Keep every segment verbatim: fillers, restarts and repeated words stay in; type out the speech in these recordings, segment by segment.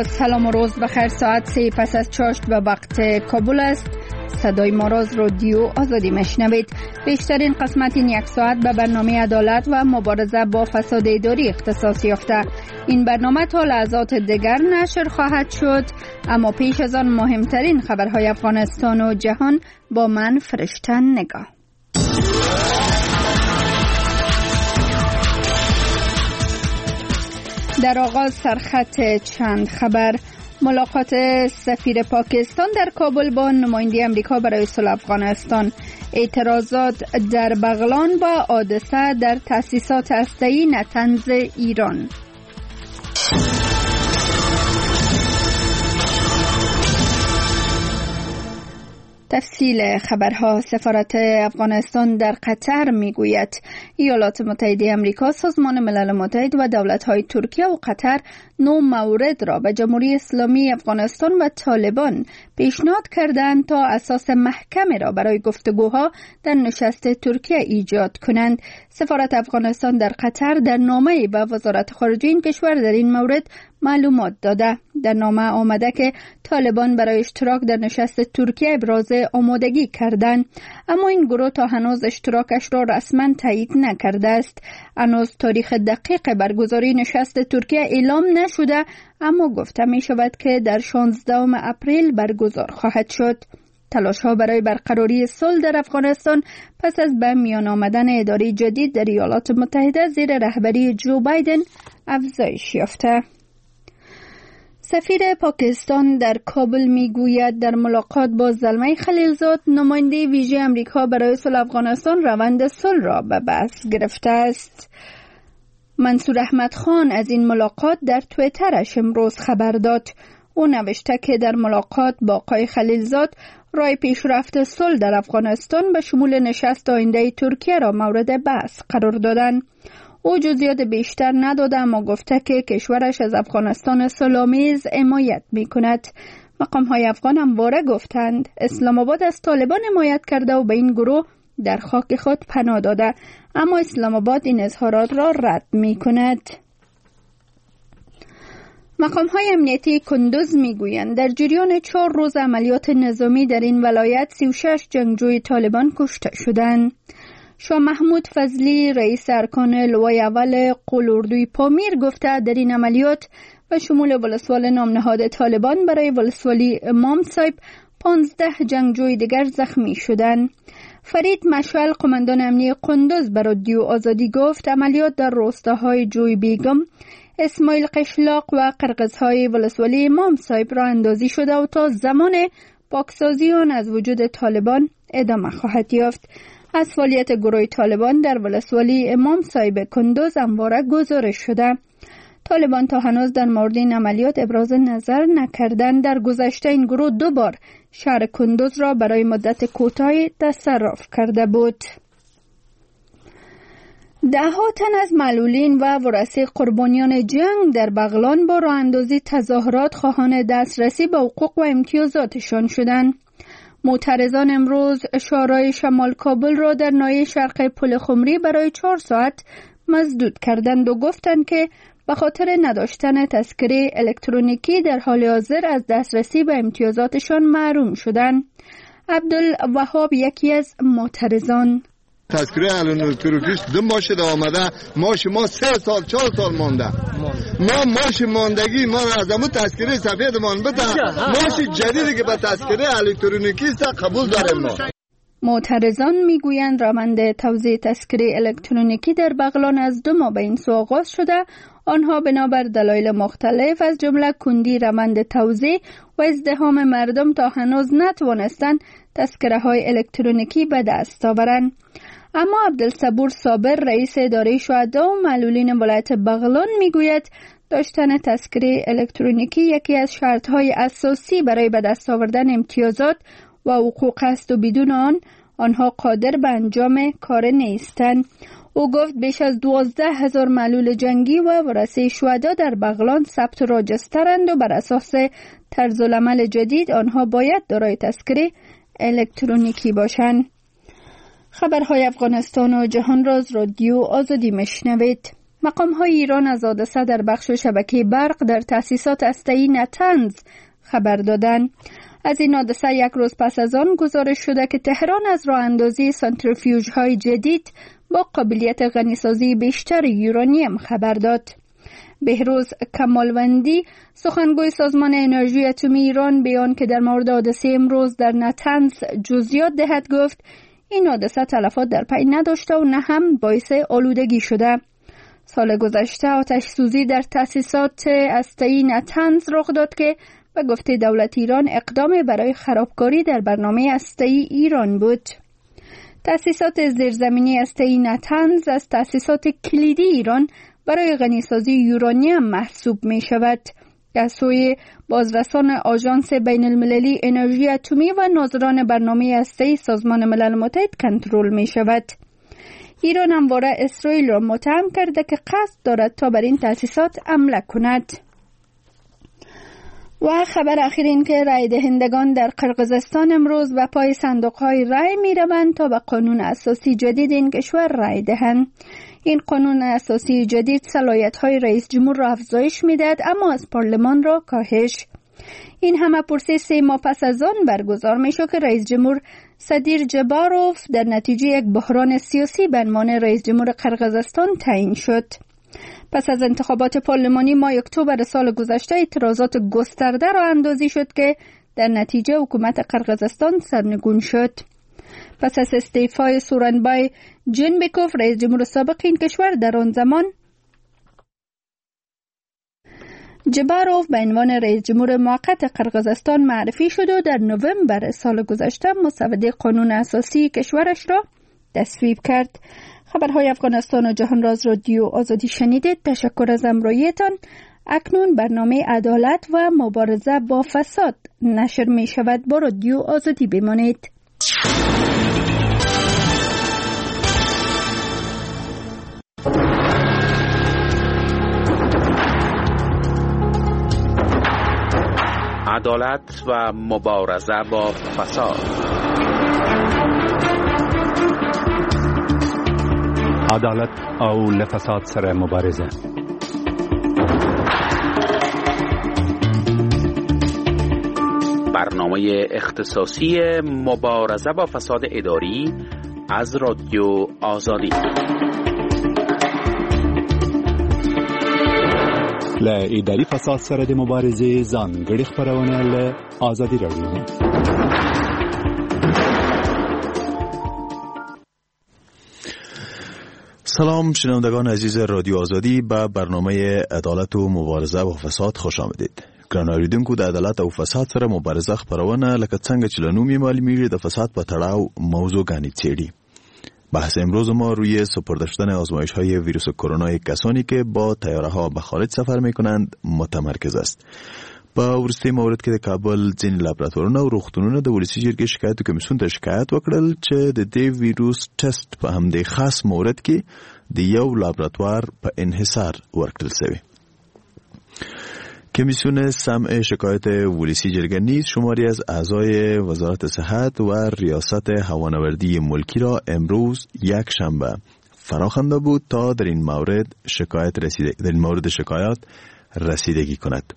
سلام و روز بخیر. ساعت سه پس از چاشت به وقت کابل است. صدای ما را از رادیو آزادی مشنوید. بیشترین قسمت این یک ساعت به برنامه عدالت و مبارزه با فساد اداری اختصاص یافته. این برنامه تا لحظات دیگر نشر خواهد شد، اما پیش از آن مهمترین خبرهای افغانستان و جهان با من فرشته نگاه. در آغاز سرخط چند خبر. ملاقات سفیر پاکستان در کابل با نماینده امریکا برای صلح افغانستان، اعتراضات در بغلان و حادثه در تأسیسات هسته‌ای نطنز ایران. تفصیل خبرها. سفارت افغانستان در قطر میگوید ایالات متحده امریکا، سازمان ملل متحد و دولت‌های ترکیه و قطر نو مورد را به جمهوری اسلامی افغانستان و طالبان پیشنهاد کردند تا اساس محکم را برای گفتگوها در نشست ترکیه ایجاد کنند. سفارت افغانستان در قطر در نامه‌ای به وزارت خارجه این کشور در این مورد معلومات داده. در نامه آمده که طالبان برای اشتراک در نشست ترکیه ابراز آمادگی کردند، اما این گروه تا هنوز اشتراکش را رسما تایید نکرده است. هنوز تاریخ دقیق برگزاری نشست ترکیه اعلام نشده، اما گفته می شود که در شانزدهم اپریل برگزار خواهد شد. تلاش ها برای برقراری صلح در افغانستان پس از به میان آمدن اداره جدید در ایالات متحده زیر رهبری جو بایدن افزایش یافته. سفیر پاکستان در کابل میگوید در ملاقات با زلمی خلیلزاد، نماینده ویژه امریکا برای صلح افغانستان، روند صلح را به بحث گرفته است. منصور احمد خان از این ملاقات در توییترش امروز خبر داد. او نوشته که در ملاقات با آقای خلیلزاد راه پیشرفت صلح در افغانستان به شمول نشست آینده ترکیه را مورد بحث قرار دادند. او جزئیات بیشتر نداده، اما گفته که کشورش از افغانستان صلح‌آمیز حمایت می‌کند. مقام‌های افغان همواره گفتند اسلام آباد از طالبان حمایت کرده و به این گروه در خاک خود پناه داده، اما اسلام آباد این اظهارات را رد می‌کند. مقام‌های امنیتی کندوز می‌گویند در جریان چهار روز عملیات نظامی در این ولایت سی و شش جنگجوی طالبان کشته شدند. شاه محمود فضلی، رئیس ارکان لوای اول قول اردوی پامیر، گفته در این عملیات و شمول ولسوال نامنهاد طالبان برای ولسوالی امام صاحب پانزده جنگجوی دیگر زخمی شدند. فرید مشعل، قماندان امنی قندوز، به رادیو آزادی گفت عملیات در روستاهای جوی بیگم، اسماعیل قشلاق و قرقزهای ولسوالی امام صاحب را اندازی شده و تا زمان پاکسازی آن از وجود طالبان ادامه خواهد یافت. از فعالیت گروه طالبان در ولسوالی امام صاحب کندوز همواره گزارش شده. طالبان تا هنوز در مورد این عملیات ابراز نظر نکردند. در گذشته این گروه دو بار شهر کندوز را برای مدت کوتاهی تصرف کرده بود. ده ها تن از معلولین و ورثه قربانیان جنگ در بغلان با راه اندازی تظاهرات خواهان دسترسی به حقوق و امتیازاتشان شدند. معترضان امروز شارای شمال کابل را در ناحیه شرق پل خمری برای چهار ساعت مسدود کردند و گفتند که به خاطر نداشتن تذکره الکترونیکی در حال حاضر از دسترسی به امتیازاتشان محروم شدند. عبدالوهاب یکی از معترضان: تذکره الکترونیکی دو ماه شده آمده، ماش ما سه سال چهار سال مانده. ما ماش ماندگی ما از همون تذکره سفید مان بده، ماش جدیدی که به تذکره الکترونیکی است قبول داریم ما. معترضان میگویند روند توزیع تذکره الکترونیکی در بغلان از دو ماه به این سو آغاز شده. آنها بنابر دلایل مختلف از جمله کندی روند توزیع و ازدحام مردم تا هنوز نتوانستند تذکره های الکترونیکی به دست آورند. اما عبدالصبور صابر، رئیس اداره شهدا و معلولین ولایت بغلان، میگوید داشتن تذکره الکترونیکی یکی از شرط‌های اساسی برای به دست آوردن امتیازات و حقوق است و بدون آن آنها قادر به انجام کار نیستند. او گفت بیش از دوازده هزار معلول جنگی و ورثه شهدا در بغلان ثبت راجسترند و بر اساس طرزالعمل جدید آنها باید دارای تذکره الکترونیکی باشند. خبرهای افغانستان و جهان را از رادیو آزادی مشنوید. مقام های ایران از حادثه در بخش شبکه برق در تأسیسات هسته‌ای نطنز خبر دادند. از این حادثه یک روز پس از آن گزارش شده که تهران از راه اندازی سانتریفیوژ های جدید با قابلیت غنیسازی بیشتر یورانیم خبر داد. بهروز کمالوندی، سخنگوی سازمان انرژی اتمی ایران، بیان که در مورد حادثه امروز در نطنز جزئیات دهد گفت این حادثه تلفات در پی نداشته و نه هم باعث آلودگی شده. سال گذشته آتش سوزی در تأسیسات هسته‌ای نطنز رخ داد که به گفته دولت ایران اقدام برای خرابکاری در برنامه هسته‌ای ایران بود. تأسیسات زیرزمینی هسته‌ای نطنز از تأسیسات کلیدی ایران برای غنیسازی یورانیم محسوب می شود. از سوی بازرسان آژانس بین المللی انرژی اتمی و ناظران برنامه هسته‌ای سازمان ملل متحد کنترل می شود. ایران همواره اسرائیل را متهم کرده که قصد دارد تا بر این تأسیسات حمله کند. و خبر اخیر این که رای دهندگان در قرقیزستان امروز به پای صندوق های رای می روند تا به قانون اساسی جدید این کشور رای دهند. این قانون اساسی جدید صلاحیت های رئیس جمهور را افزایش می دهد، اما از پارلمان را کاهش. این همه پرسی سه ماه پس از آن برگزار می شد که رئیس جمهور صدیر جباروف در نتیجه یک بحران سیاسی به عنوان رئیس جمهور قرقیزستان تعیین شد. پس از انتخابات پارلمانی ماه اکتبر سال گذشته اعتراضات گسترده را اندازی شد که در نتیجه حکومت قرقیزستان سرنگون شد. پس از استعفای سورانبای جنبکوف، رئیس جمهور سابق این کشور در آن زمان، جباروف به عنوان رئیس جمهور موقت قرقیزستان معرفی شد و در نوامبر سال گذشته مسوده قانون اساسی کشورش را تصویب کرد. خبرهای افغانستان و جهان را از رادیو آزادی شنیدید. تشکر از همراهیتان. اکنون برنامه عدالت و مبارزه با فساد نشر می شود. با رادیو آزادی بمانید. عدالت و مبارزه با فساد. عدالت او له فساد سره مبارزه. برنامه اختصاصی مبارزه با فساد اداری از رادیو آزادی. له اداري فساد سره د مبارزې ځانګړې خپرونه له ازادي راډیو. سلام شنوندگان عزیز رادیو آزادی، به برنامه عدالت و مبارزه با فساد خوش آمدید. ګران اوریدونکو، د عدالت او فساد سره مبارزه خپرونه لکه څنګه چې له نوم یې معلومیږي د فساد په تړاو موضوعګانې څېړي. بحث امروز ما روی سپرده شدن آزمایش های ویروس کرونا کسانی که با طیاره ها به خارج سفر می کنند متمرکز است. په وروستي مورد کې د کابل ځینې لابراتوارونه او روغتونونه د ولسي جرګې شکایت کمیسیون ته شکایت وکړل چې د دې ویروس ټسټ په همدې خاص مورد کې د یو لابراتوار په انحصار ورکړل شوی. کمیسیون سمع شکایت ولسی جرگه نیز شماری از اعضای وزارت صحت و ریاست هوانوردی ملکی را امروز یک شنبه فراخوانده بود تا در این مورد شکایت رسیده در این مورد شکایات رسیدگی کند.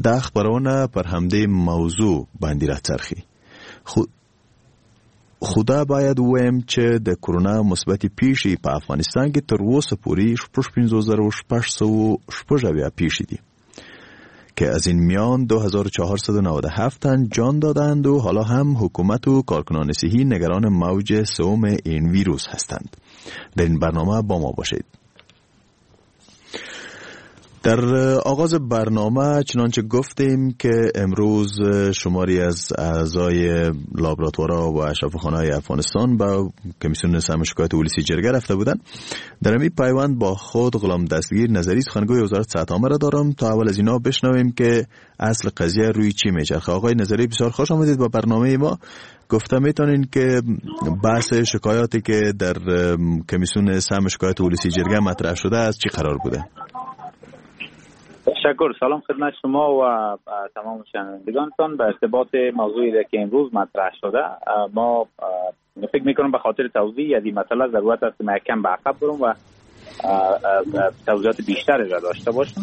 دا خپرونه پر همدې موضوع باندې راڅرخي. خو خدا باید ووایم چې د کرونا مثبتې پیښې په افغانستان کې تر اوسه پورې شپږ پنځوس زره شپږ سوه شپږ اویا پیښې دي که از این میان دو هزار و چهارصد و نود و هفت تن جان دادند و حالا هم حکومت و کارکنان صحی نگران موج سوم این ویروس هستند. در این برنامه با ما باشید. در آغاز برنامه چنانچه گفتیم که امروز شماری از اعضای لابراتوارها و شفاخانه‌های افغانستان به کمیسیون سهم شکایت ولسی جرگه رفته بودند. در این پیوند با خود غلام دستگیر نظری سخنگوی وزارت صحت عامه را دارم تا اول از اینا بشنویم که اصل قضیه روی چی میچرخه. آقای نظری بسیار خوش آمدید به برنامه ما. گفته میتونین که بحث شکایاتی که در کمیسیون سهم شکایت ولسی جرگه مطرح شده از چی قرار بوده؟ تشکر. سلام خدمت شما و تمام شنوندگانتان. به ارتباط موضوعی که امروز مطرح شده، ما فکر میکنم به خاطر توضیح از این مسئله ضرورت است که ما یکم به عقب برم و توضیحات بیشتری را داشته باشم.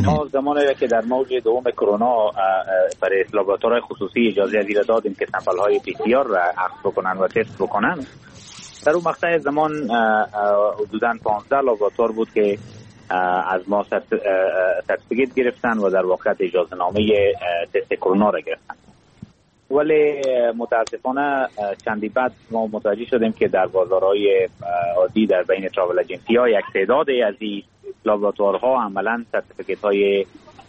ما زمانی که در موج دوم کرونا برای لابراتوارهای خصوصی اجازه از این دادیم که sample های پی سی آر را اخذ بکنن و تست بکنن، در اون مقطع زمان حدوداً پانزده لابراتوار بود که از ما certificate گرفتن و در واقع اجازه نامه تست کرونا را گرفتن. ولی متاسفانه چندی بعد ما متوجه شدیم که در بازارهای عادی در بین travel agency ها یک تعداد از این لابراتوارها عملاً certificate های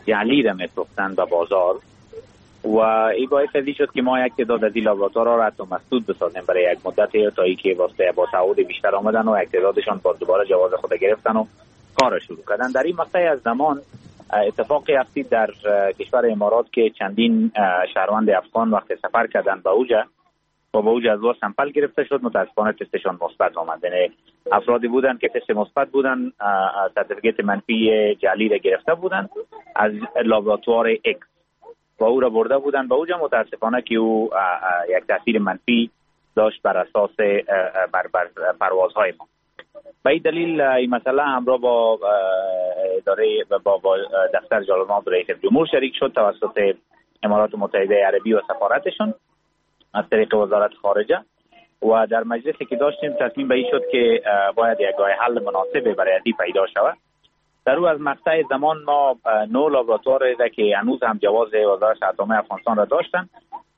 جعلی را می‌فروختند به بازار و این باعث از شد که ما یک تعداد از این لابراتوارها را حتی مسدود بسازیم برای یک مدت تا اینکه واسه با تعهد بیشتر آمدن و یک تعدادشان باز دوباره جواز خود گرفتن و کار شروع کردن. در این مقطع از زمان اتفاقی افتید در کشور امارات که چندین شهروند افغان وقت سفر کردن به اوجه و با اوجه از او sample گرفته شد، متاسفانه تستشان مثبت آمد. یعنی افرادی بودن که تست مثبت بودن، certificate منفی جعلی را گرفته بودن از لابراتوار اکس و او را برده بودن به اوجه، متاسفانه که او یک تاثیر منفی داشت بر اساس بر, بر پروازهای ما. به این دلیل این مسئله همراه با اداره با, با دفتر جلالتمآب رئیس جمهور شریک شد توسط امارات متحده عربی و سفارتشون از طریق وزارت خارجه و در مجلسی که داشتیم تصمیم به این شد که باید یک راه حل مناسب برای ازی پیدا شود. در او از مقطع زمان ما نو لابراتوار که هنوز هم جواز وزارت صحت عامه افغانستان را داشتن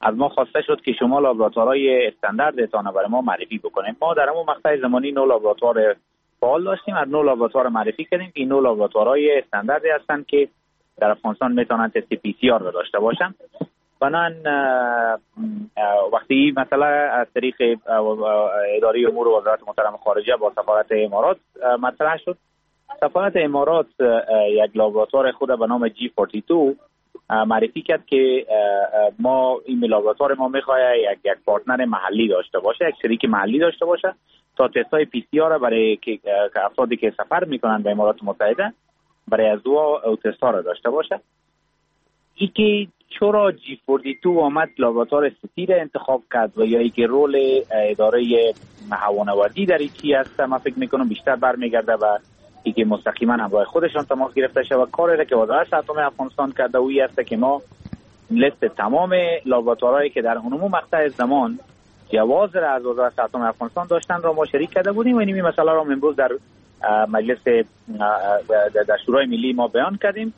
از ما خواسته شد که شما لابراتوارهای استانداردتان برای ما معرفی بکنید. ما در اون مقطع زمانی نو لابراتوار فعال داشتیم، از نو لابراتوار معرفی کردیم. این نو لابراتوارهای استانداردی هستند که در افغانستان میتونن تست پی سی آر را داشته باشن. بنان وقتی این مسئله از طریق اداره امور وزارت محترم خارجه با سفارت امارات مطرح شد، سفارت امارات یک لابراتوار خود به نام جی چهل و دو معرفی کرد که ما این لابراتوار ما میخواد یک یک partner محلی داشته باشه، یک شریک محلی داشته باشه تا تست های پی سی آر را برای که افرادی که سفر میکنن به امارات متحده برای از او تست ها را داشته باشه. ای که چرا جی چهل و دو آمد لابراتوار سیتی را انتخاب کرد و یا اینکه role اداره هوانوردی در این چی است، من فکر میکنم بیشتر برمیگرده و اینکه مستقیما همراه خودشان تماس گرفته شود. و کاری را که وزارت صحت افغانستان کرده اویی است که ما لیست تمام لابراتوارهایی که در اون مقطع زمان جواز را از وزارت صحت افغانستان داشتن را ما شریک کرده بودیم و این مسئله را امروز در مجلس در شورای ملی ما بیان کردیم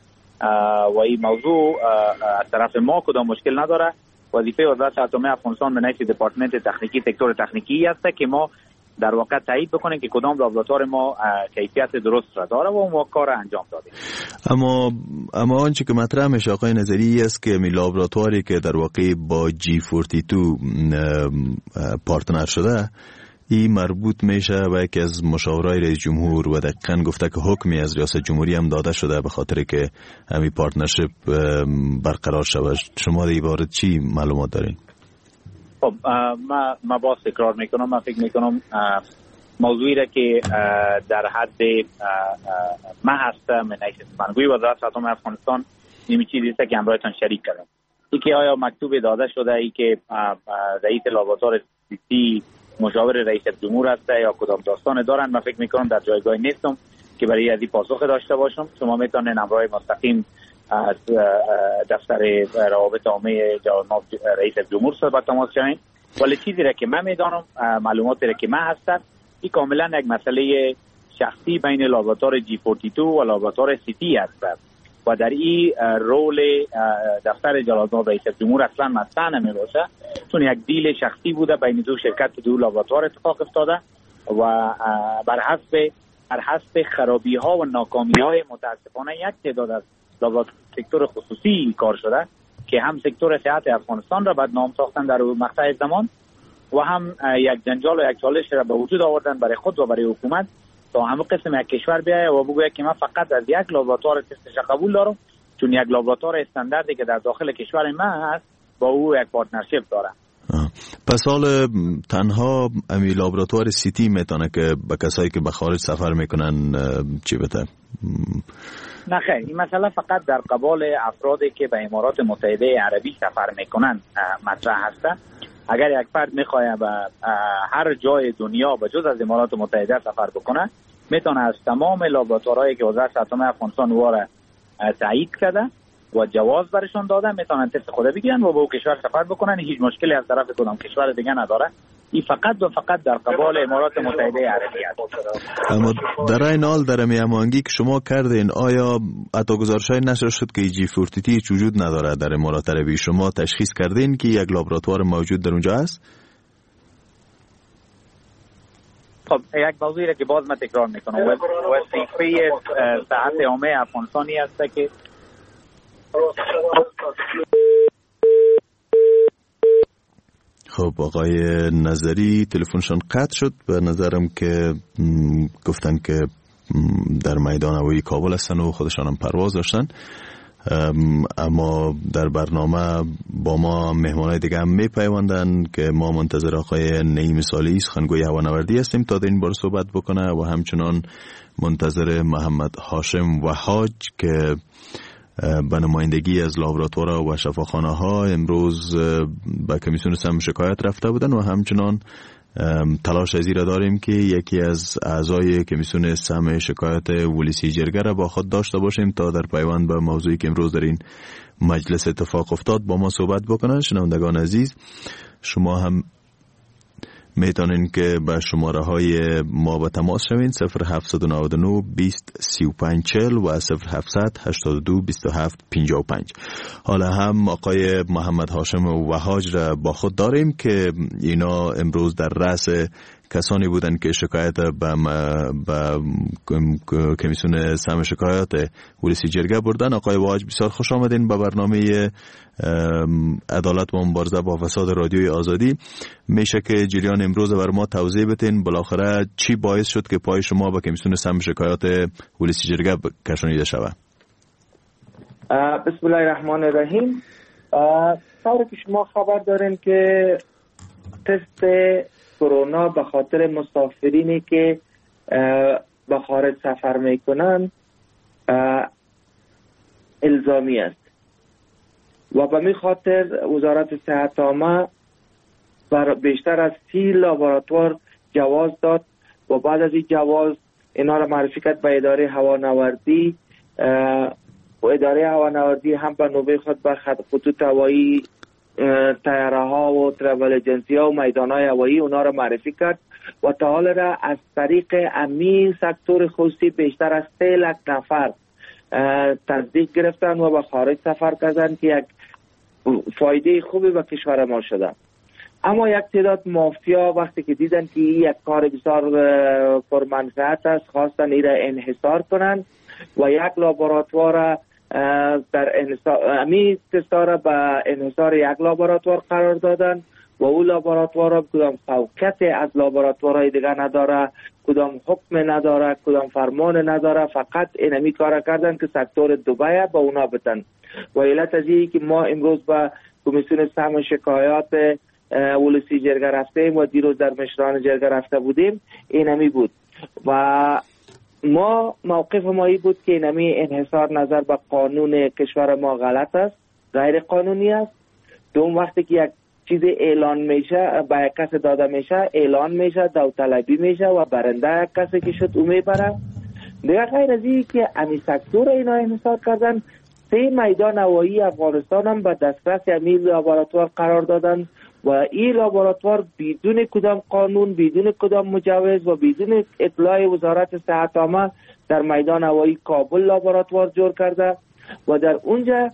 و این موضوع از طرف ما کدام مشکل نداره. وظیفه وزارت صحت افغانستان به نفع دپارتمنت تکنیکی سکتور تکنیکی است که ما در واقع تایید بکنیم که کدام لابراتوار ما کیفیت درست را داره و ما کار انجام دادیم. اما اما آنچه که مطرح میشه آقای نظری است که می لابراتواری که در واقع با جی چهل و دو partner شده این مربوط میشه به یکی از مشاورای رئیس جمهور و دقیقاً گفته که حکمی از ریاست جمهوری هم داده شده به خاطر که همین partnership برقرار شود. شما در این باره چی معلومات دارین؟ خب ما ما باز تکرار میکنم، من فکر میکنم موضوعی را که در حد ما هست من سخنگوی وزارت صحت افغانستان نیمی چیزی است که همراهتان شریک کردم. ای که آیا مکتوب داده شده ای که رئیس لابراتوار سیتی مشاور رئیس جمهور است یا کدام داستان دارن، من فکر میکنم در جایگاه نیستم که برای از این پاسخ داشته باشم. شما میتونین همراه مستقیم از دفتر روابط عامه جواب رئیس جمهور صحبت تماس شوین، ولی چیزی را که من میدانم، معلوماتی را که من هستم، این کاملا یک مسئله شخصی بین لابراتوار جی چهل و دو و لابراتوار سیتی است و در این role دفتر جلالتمآب رئیس جمهور اصلا مطرح نمیباشه، چون یک deal شخصی بوده بین دو شرکت دو لابراتوار اتفاق افتاده و بر حسب بر حسب خرابی ها و ناکامی های متاسفانه یک تعداد از لابراتوار سکتور خصوصی کار شده که هم سکتور صحت افغانستان را بدنام ساختن در مقطع زمان و هم یک جنجال و یک چالش را به وجود آوردن برای خود و برای حکومت تا همه قسم یک کشور بیاید و بگوید که من فقط از یک لابراتوار تستش قبول دارم، چون یک لابراتوار استانداردی که در داخل کشور من هست با او یک partnership داره. پس حال تنها امی لابراتوار سیتی میتونه که به کسایی که به خارج سفر میکنن چی بده؟ نه خیر، این مسئله فقط در قبال افرادی که به امارات متحده عربی سفر میکنن مطرح هست. اگر یک فرد میخواد به هر جای دنیا به جز از امارات متحده سفر بکنه، میتونه از تمام لابراتوارهایی که وزارت صحت عامه افغانستان واره تایید کرده و جواز برشون داده میتونن تست خود بگیرن و به او کشور سفر بکنن. هیچ مشکلی از طرف کدام کشور دیگه نداره. این فقط و فقط در قبال امارات متحده عربی است. اما در این حال در هماهنگی که شما کردین، آیا حتی گزارش‌های نشر شد که جی چهل هیچ وجود نداره در امارات عربی؟ شما تشخیص کردین که یک لابراتوار موجود در اونجا است؟ خب یک موضوعی را که باز من تکرار میکنم، وظیفه صحت عامه افغانستانی است که خب آقای نظری تلفنشان قطع شد. به نظرم که گفتن که در میدان هوایی کابل هستن و خودشان هم پرواز داشتن، اما در برنامه با ما مهمانای دیگه هم میپیوندن که ما منتظر آقای نعیم صالحی سخنگوی هوانوردی هستیم تا در این باره صحبت بکنه و همچنان منتظر محمد هاشم وهاج که به نمایندگی از لابراتوارها و شفاخانه ها امروز به کمیسیون سم شکایت رفته بودن و همچنان تلاش از این را داریم که یکی از اعضای کمیسیون سم شکایت ولسی جرگه را با خود داشته باشیم تا در پیوند به موضوعی که امروز در این مجلس اتفاق افتاد با ما صحبت بکنن. شنوندگان عزیز، شما هم میتونین که به شماره های ما به تماس شوین: صفر هفت نه نه بیست سی و پنج چهل و صفر هفت هشت دو بیست و هفت پنجاه و پنج. حالا هم آقای محمد هاشم وهاج را با خود داریم که اینا امروز در رأس کسانی بودند که شکایت به به کمیسیون سم شکایت ولسی جرگه بردن. آقای وهاج، بسیار خوش آمدین به برنامه عدالت و مبارزه با فساد رادیوی آزادی. میشه که جریان امروز بر ما توضیح بتین بالاخره چی باعث شد که پای شما به کمیسیون سم شکایت ولسی جرگه کشانیده شود؟ بسم الله الرحمن الرحیم. طوری که شما خبر دارین که تست کرونا به خاطر مسافرینی که به خارج سفر میکنن الزامی است و به می خاطر وزارت صحت عامه بر بیشتر از سی لابراتوار جواز داد و بعد از این جواز اینا را معرفی کرد به اداره هوانوردی و اداره هوانوردی هم به نوبه خود به خطوط هوایی، طیاره ها و ترافل ایجنسی ها و میدان های هوایی اونا را معرفی کرد و تا حال را از طریق امی سکتور خصوصی بیشتر از سه لک نفر تصدیق گرفتن و به خارج سفر کردن که یک فایده خوبی به کشور ما شده. اما یک تعداد مافیا وقتی که دیدن که یک کار بسیار پرمنفعت است، خواستن این را انحصار کنند و یک لابراتوار در انحصار امی تستا را به انحصار یک لابراتوار قرار دادن و او لابراتوار را کدام فوقیت از لابراتوارهای دیگه نداره، کدام حکم نداره، کدام فرمان نداره، فقط اینمی کار کردن که سکتور دبی به اونا بتن. و علت از این که ما امروز به کمیسیون سهم شکایات ولسی جرگه رفتیم و دیروز در مشران جرگه رفته بودیم اینمی بود و ما موقف ما ای بود که اینمی انحصار نظر به قانون کشور ما غلط است، غیر قانونی است. دوم، وقتی که یک چیز اعلان میشه به یک کس داده میشه، اعلان میشه، داوطلبی میشه و برنده یک کسی که شد او میبره. دیگه غیر از این که امی سکتور اینا انحصار کردن، سه میدان هوایی افغانستان هم به دسترس امی لابراتوار قرار دادن و این لابراتوار بدون کدام قانون، بدون کدام مجوز و بدون اطلاع وزارت صحت عامه در میدان هوایی کابل لابراتوار جور کرده و در اونجا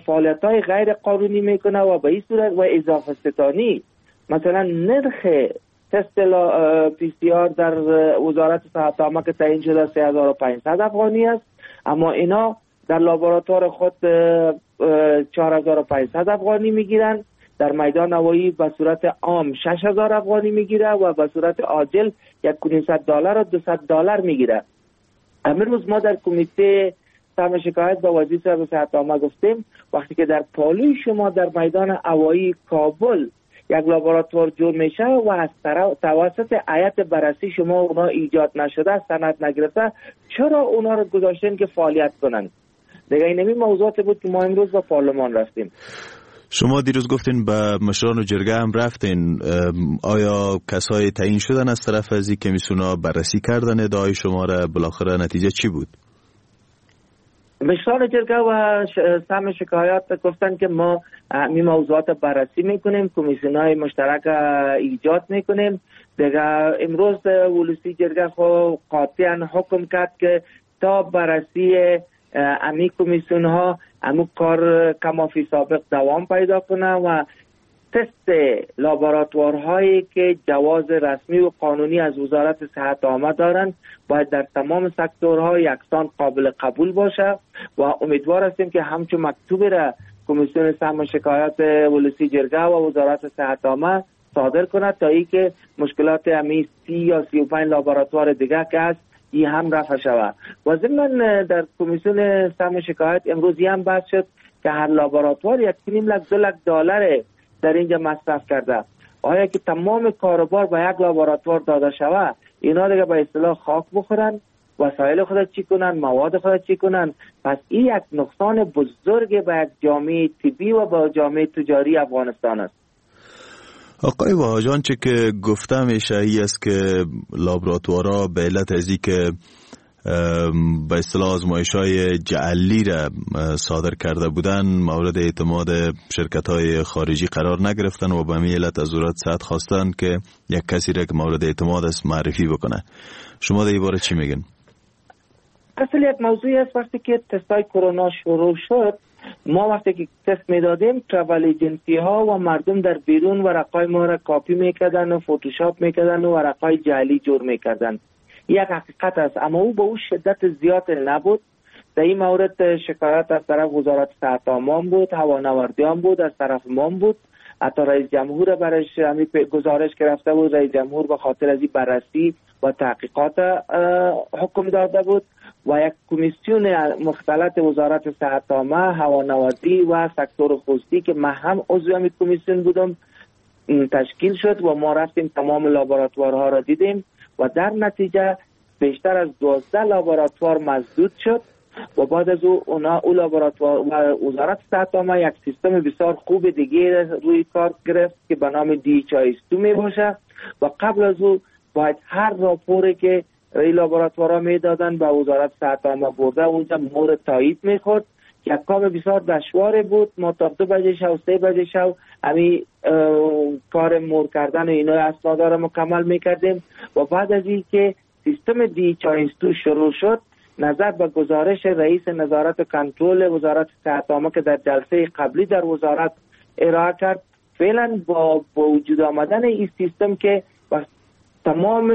فعالیت‌های غیر قانونی میکنه و به این صورت و اضافه ستانی، مثلا نرخ تست پی سی آر در وزارت صحت عامه که تعیین شده سه هزار و پانصد افغانی است، اما اینا در لابراتوار خود چهار هزار و پانصد افغانی میگیرن، در میدان هوایی به صورت عام شش هزار افغانی میگیره و به صورت عاجل یک و نیم دلار و دویست دلار میگیره. امروز ما در کمیته سهم شکایت با وزیر صحت عامه گفتیم وقتی که در پالوی شما در میدان هوایی کابل یک لابراتوار جور میشه و از توسط هیئت بررسی شما اونا ایجاد نشده، سند نگرفته، چرا اونا رو گذاشتین که فعالیت کنن؟ دیگه اینمی موضوعات بود که ما امروز با پارلمان رفتیم. شما دیروز گفتین به مشران و جرگه هم رفتین، آیا کسای تعیین شدن از طرف از این کمیسیون ها بررسی کردن ادعای شما را؟ بالاخره نتیجه چی بود؟ مشران جرگه و سم شکایات گفتن که ما این موضوعات بررسی میکنیم، کمیسیون های مشترک ایجاد میکنیم. دیگه امروز ولسی جرگه خو قاطعا حکم کرد که تا بررسی امی کمیسیون ها امو کار کما فی سابق دوام پیدا کنه و تست لابراتوارهایی که جواز رسمی و قانونی از وزارت صحت عامه دارند باید در تمام سکتورها یکسان قابل قبول باشه و امیدوار هستیم که همچون مکتوب را کمیسیون سهم شکایات ولسی جرگه و وزارت صحت عامه صادر کند تا اینکه مشکلات امی سی یا سی و پنج لابراتوار دیگه که هست ای هم رفع شود. و ضمن در کمیسیون سهم شکایت امروز هم بحث شد که هر لابراتوار یک نیم لک دو لک دلار در اینجا مصرف کرده. آیا که تمام کاروبار به یک لابراتوار داده شود، اینا دیگه به اصطلاح خاک بخورن، وسایل خود چی کنن، مواد خود چی کنن؟ پس این یک نقصان بزرگ به یک جامعه طبی و به جامعه تجاری افغانستان است. آقای واجان، چه که گفتم اشاعی است که لابراتوارا به علت ازی که به اصطلاح آزمایش‌های جعلی را صادر کرده بودن مورد اعتماد شرکت‌های خارجی قرار نگرفتن و به همین علت از وزارت صحت خواستن که یک کسی را که مورد اعتماد است معرفی بکنه. شما در این باره چی میگن؟ اصل یک موضوعی است. وقتی که تست‌های کرونا شروع شد، ما وقتی که تست میدادیم travel agency ها و مردم در بیرون ورقای ما را کاپی میکردن و فتوشاپ میکردن و ورقای جعلی جور میکردن. یک حقیقت است، اما او به او شدت زیاد نبود. در این مورد شکایت از طرف وزارت صحت عامه بود، هوانوردی هم بود، از طرف ما بود، حتی رئیس جمهور برش گزارش گرفته بود. رئیس جمهور به خاطر از این بررسی و تحقیقات حکم داده بود و یک کمیسیون مختلط وزارت صحت عامه، هوانوردی و سکتور خصوصی که من هم عضو این کمیسیون بودم تشکیل شد و ما رفتیم تمام لابراتوارها را دیدیم و در نتیجه بیشتر از دوازده لابراتوار مسدود شد و بعد از او اونا او لابراتوار و وزارت صحت عامه یک سیستم بسیار خوب دیگه روی کار گرفت که به نام دی اچ آی اس دو می باشه و قبل از او باید هر راپوری که این لابراتوارها میدادن به وزارت صحت عامه برده اونجا مورد تایید میخورد. یک کار بسیار دشوار بود. ما تا دو بجه شو سه بجه شو همی کار مور کردن و اینا اسناد را مکمل میکردیم و بعد از این که سیستم دی اچ آی اس دو شروع شد، نظر به گزارش رئیس نظارت کنترل وزارت صحت عامه که در جلسه قبلی در وزارت ارائه کرد، فعلا با وجود آمدن این سیستم که تمام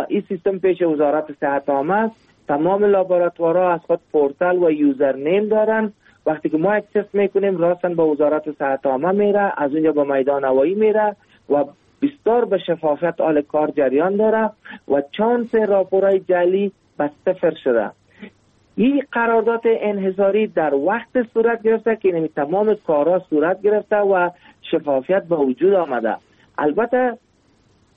این سیستم پیش وزارت صحت عامه است، تمام لابراتوارها از خود پورتال و username دارن. وقتی که ما یک تست میکنیم راستن به وزارت صحت عامه میره، از اونجا به میدان هوایی میره و بسیار به شفافیت آل کار جریان داره و چانس راپورهای جعلی به صفر شده. این قرارداد انحصاری در وقت صورت گرفته که یعنی تمام کارها صورت گرفته و شفافیت به وجود آمده. البته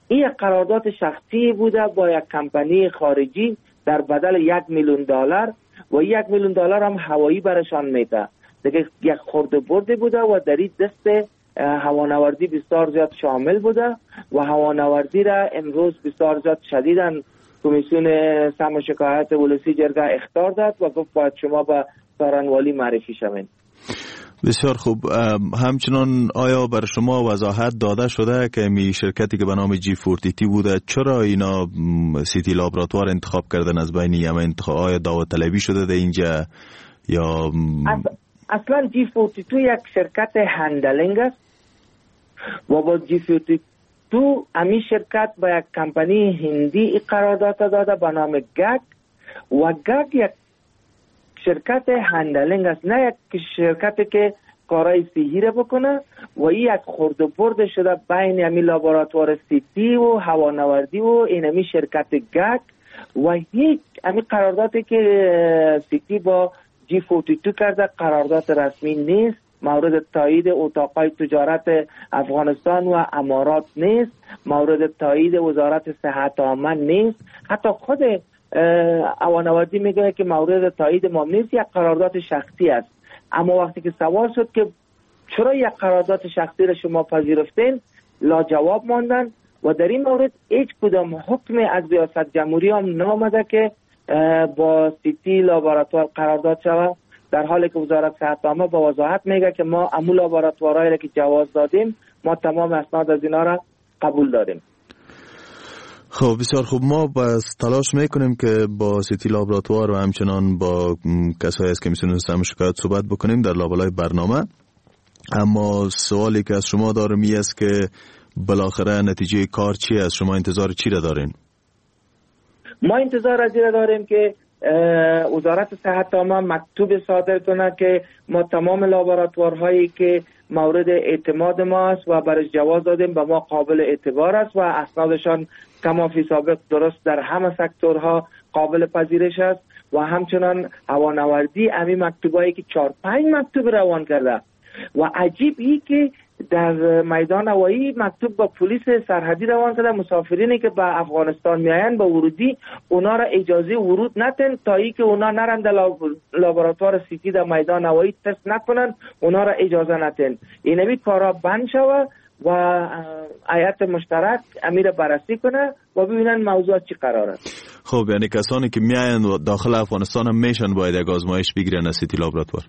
این قرارداد شخصی بوده با یک کمپانی خارجی در بدل یک میلیون دلار و یک میلیون دلار هم هوایی برشان میده. دیگه یک خورده برده بوده و در این دست هوانوردی بسیار زیاد شامل بوده و هوانوردی را امروز بسیار زیاد شدیداً کمیسیون سهم شکایت ولسی جرگه اخطار داد و گفت باید شما به سارنوالی معرفی شوین. بسیار خوب. همچنان آیا بر شما وضاحت داده شده که می شرکتی که به نام جی چهل و دو بوده چرا اینا سیتی لابراتوار انتخاب کردن از بین یمن انتخاب؟ آیا داوطلبی شده در اینجا یا اصلا جی چهل و دو یک شرکت handling است و با جی چهل و دو امی شرکت با یک کمپانی هندی قرارداد داده به نام گگ و گگ یک شرکت handling است، نه یک شرکت که کارای صحی را بکنه و این یک خورد و برد شده بین امی لابراتوار سیتی و هوانوردی و این امی شرکت گگ و هیچ امی قراردادی که سیتی با جی چهل و دو کرده قرارداد رسمی نیست، مورد تایید اتاقای تجارت افغانستان و امارات نیست، مورد تایید وزارت صحت عامه نیست. حتی خود هوانوردی میگه که مورد تایید ما نیست، یک قرارداد شخصی است. اما وقتی که سوال شد که چرا یک قرارداد شخصی را شما پذیرفتین؟ لا جواب ماندن و در این مورد هیچ کدام حکم از ریاست جمهوری هم نامده که با سیتی لابراتوار قرارداد شود، در حالی که وزارت صحت عامه با وضاحت میگه که ما امو لابراتوارهایی را که جواز دادیم ما تمام اسناد از اینا را قبول داریم. خب بسیار خوب، ما بس تلاش میکنیم که با سیتی لابراتوار و همچنان با کسایی از کمیسیون سم شکایت صحبت بکنیم در لابلای برنامه. اما سوالی که از شما دارم این است که بالاخره نتیجه کار چی است؟ شما انتظار چی را دارین؟ ما انتظار از این داریم که وزارت صحت عامه مکتوب صادر کنه که ما تمام لابراتوارهایی که مورد اعتماد ما است و برش جواز دادیم به ما قابل اعتبار است و اسنادشان کما فی سابق درست در همه سکتورها قابل پذیرش است و همچنان هوانوردی امی مکتوبایی که چهار پنج مکتوب روان کرده و عجیب ای که در میدان هوایی مکتوب با پلیس سرحدی روان کرده، مسافرینی که به افغانستان میآیند با ورودی اونا را اجازه ورود نتن تا ای که اونا نرند لابراتوار سیتی در میدان هوایی تست نکنن، اونا را اجازه نتن. اینمی کارا بند شوه و هیئت مشترک امیر بررسی کنه و ببینن موضوع چی قرار است. خب یعنی کسانی که میآیند داخل افغانستان هم میشن باید یک آزمایش بگیرن از سیتی لابراتوار.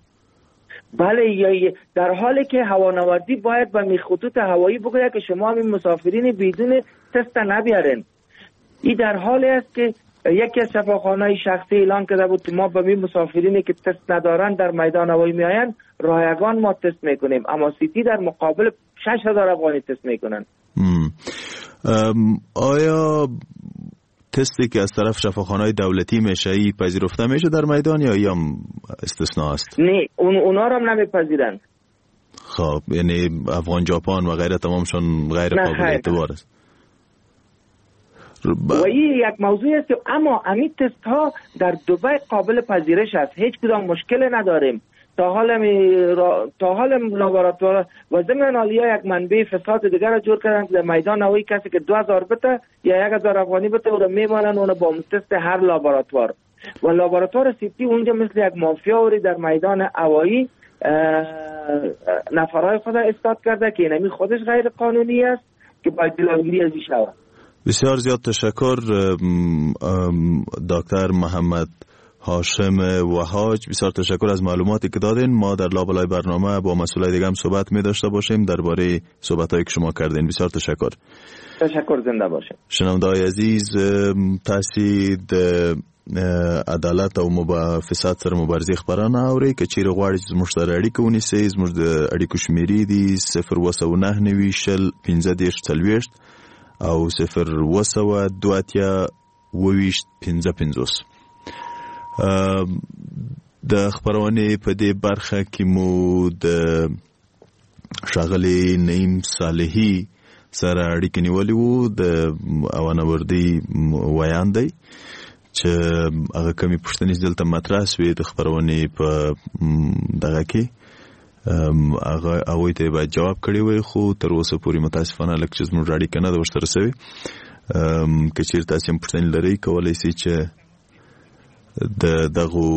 بله، یا در حالی که هوانوردی باید به خطوط هوایی بگوید که شما این مسافرین بدون تست نبیارین. این در حالی است که یکی از شفاخانه‌های شخصی اعلان کرده بود که ما به می مسافرینی که تست ندارن در میدان هوایی میآیند رایگان ما تست میکنیم، اما سیتی در مقابل شش هزار افغانی تست میکنن. آیا تستی که از طرف شفاخانه‌های دولتی میشه ای پذیرفته میشه در میدان یا ای هم استثناء است؟ نه، اون اونا رو هم نمیپذیرن. خب یعنی افغان ژاپن و غیره تمامشون غیر قابل اعتبار است. و این یک موضوع است، اما امی تست ها در دبی قابل پذیرش است، هیچ کدام مشکل نداریم تا حال می را... تا حال لابراتوار و ضمن عالیه یک منبع فساد دیگر را جور کردن که در میدان هوایی کسی که دو هزار بته یا یک هزار افغانی بته او را میمانن اونو با تست هر لابراتوار و لابراتوار سیتی اونجا مثل یک مافیا وری در میدان هوایی نفرهای خود استاد کرده که اینمی خودش غیر قانونی است که باید جلوگیری از این شود. بسیار زیاد تشکر دکتر محمد هاشم وهاج، بسیار تشکر از معلوماتی که دادین. ما در لابلای برنامه با مسئولای دیگه هم صحبت می داشته باشیم درباره صحبت‌هایی که شما کردین. بسیار تشکر. تشکر، زنده باشین. شنونده‌های عزیز، تاسو د عدالت او فساد سره مبارزې خبرونه اورئ. که چیرې غواړئ چې زموږ سره اړیکه ونیسئ، زموږ د اړیکو شمېرې دي صفر اووه سوه نهه نوي شل پنځه دېرش څلوېښت او صفر اووه سوه دوه اتیا اووه ویشت پنځه پنځوس. د خپرونې په دې برخه کې مو د ښاغلي نعیم صالحي سره اړیکه نیولې وو، د هوانوردي ویاند دی چې هغه کمې پوښتنې چې دلته مطرح سوې د خپرونې په دغه کې هغه هغوی ته یې باید جواب کړی وای، خو تر اوسه پورې متاسفانه لږ چې زموږ اړیکه نه ده ورسره سوې. که چیرې تاسې هم پوښتنې لرئ کولی سئ چې د دغو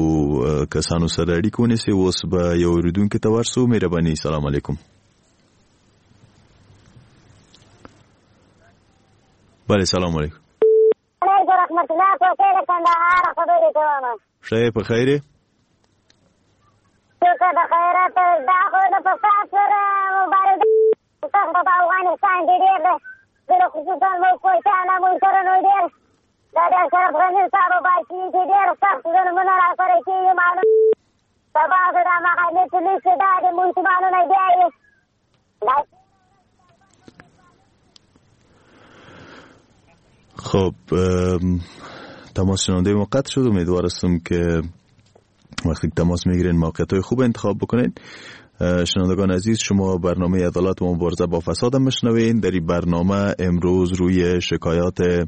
کسانو سره اړیکه ونیسئ. اوس به یو اورېدونکي ته ورسو. مهرباني. سلام علیکم. بله سلام علیکم. ښه یې په خیر یې؟ شکر د خیرات. دا خو د فساد سره مبارزه سخته په افغانستان کې ډېر ده، خصوصا موږ کویټه نه موږ سره نو ډېر دا د اشرف غني صاحب باچي چې ډېر سخت ظلمونه راسره کېږي. معلوم سبا خو دا محلي پولیس چې دا د مسلمانانو نه بیایي. خب تماس شنونده ما قطع شد. امیدوار هستم که وقتی تماس میگیرین موقعیت های خوب انتخاب بکنین. شنوندگان عزیز، شما برنامه عدالت و مبارزه با فساد مشنوین. در این برنامه امروز روی شکایات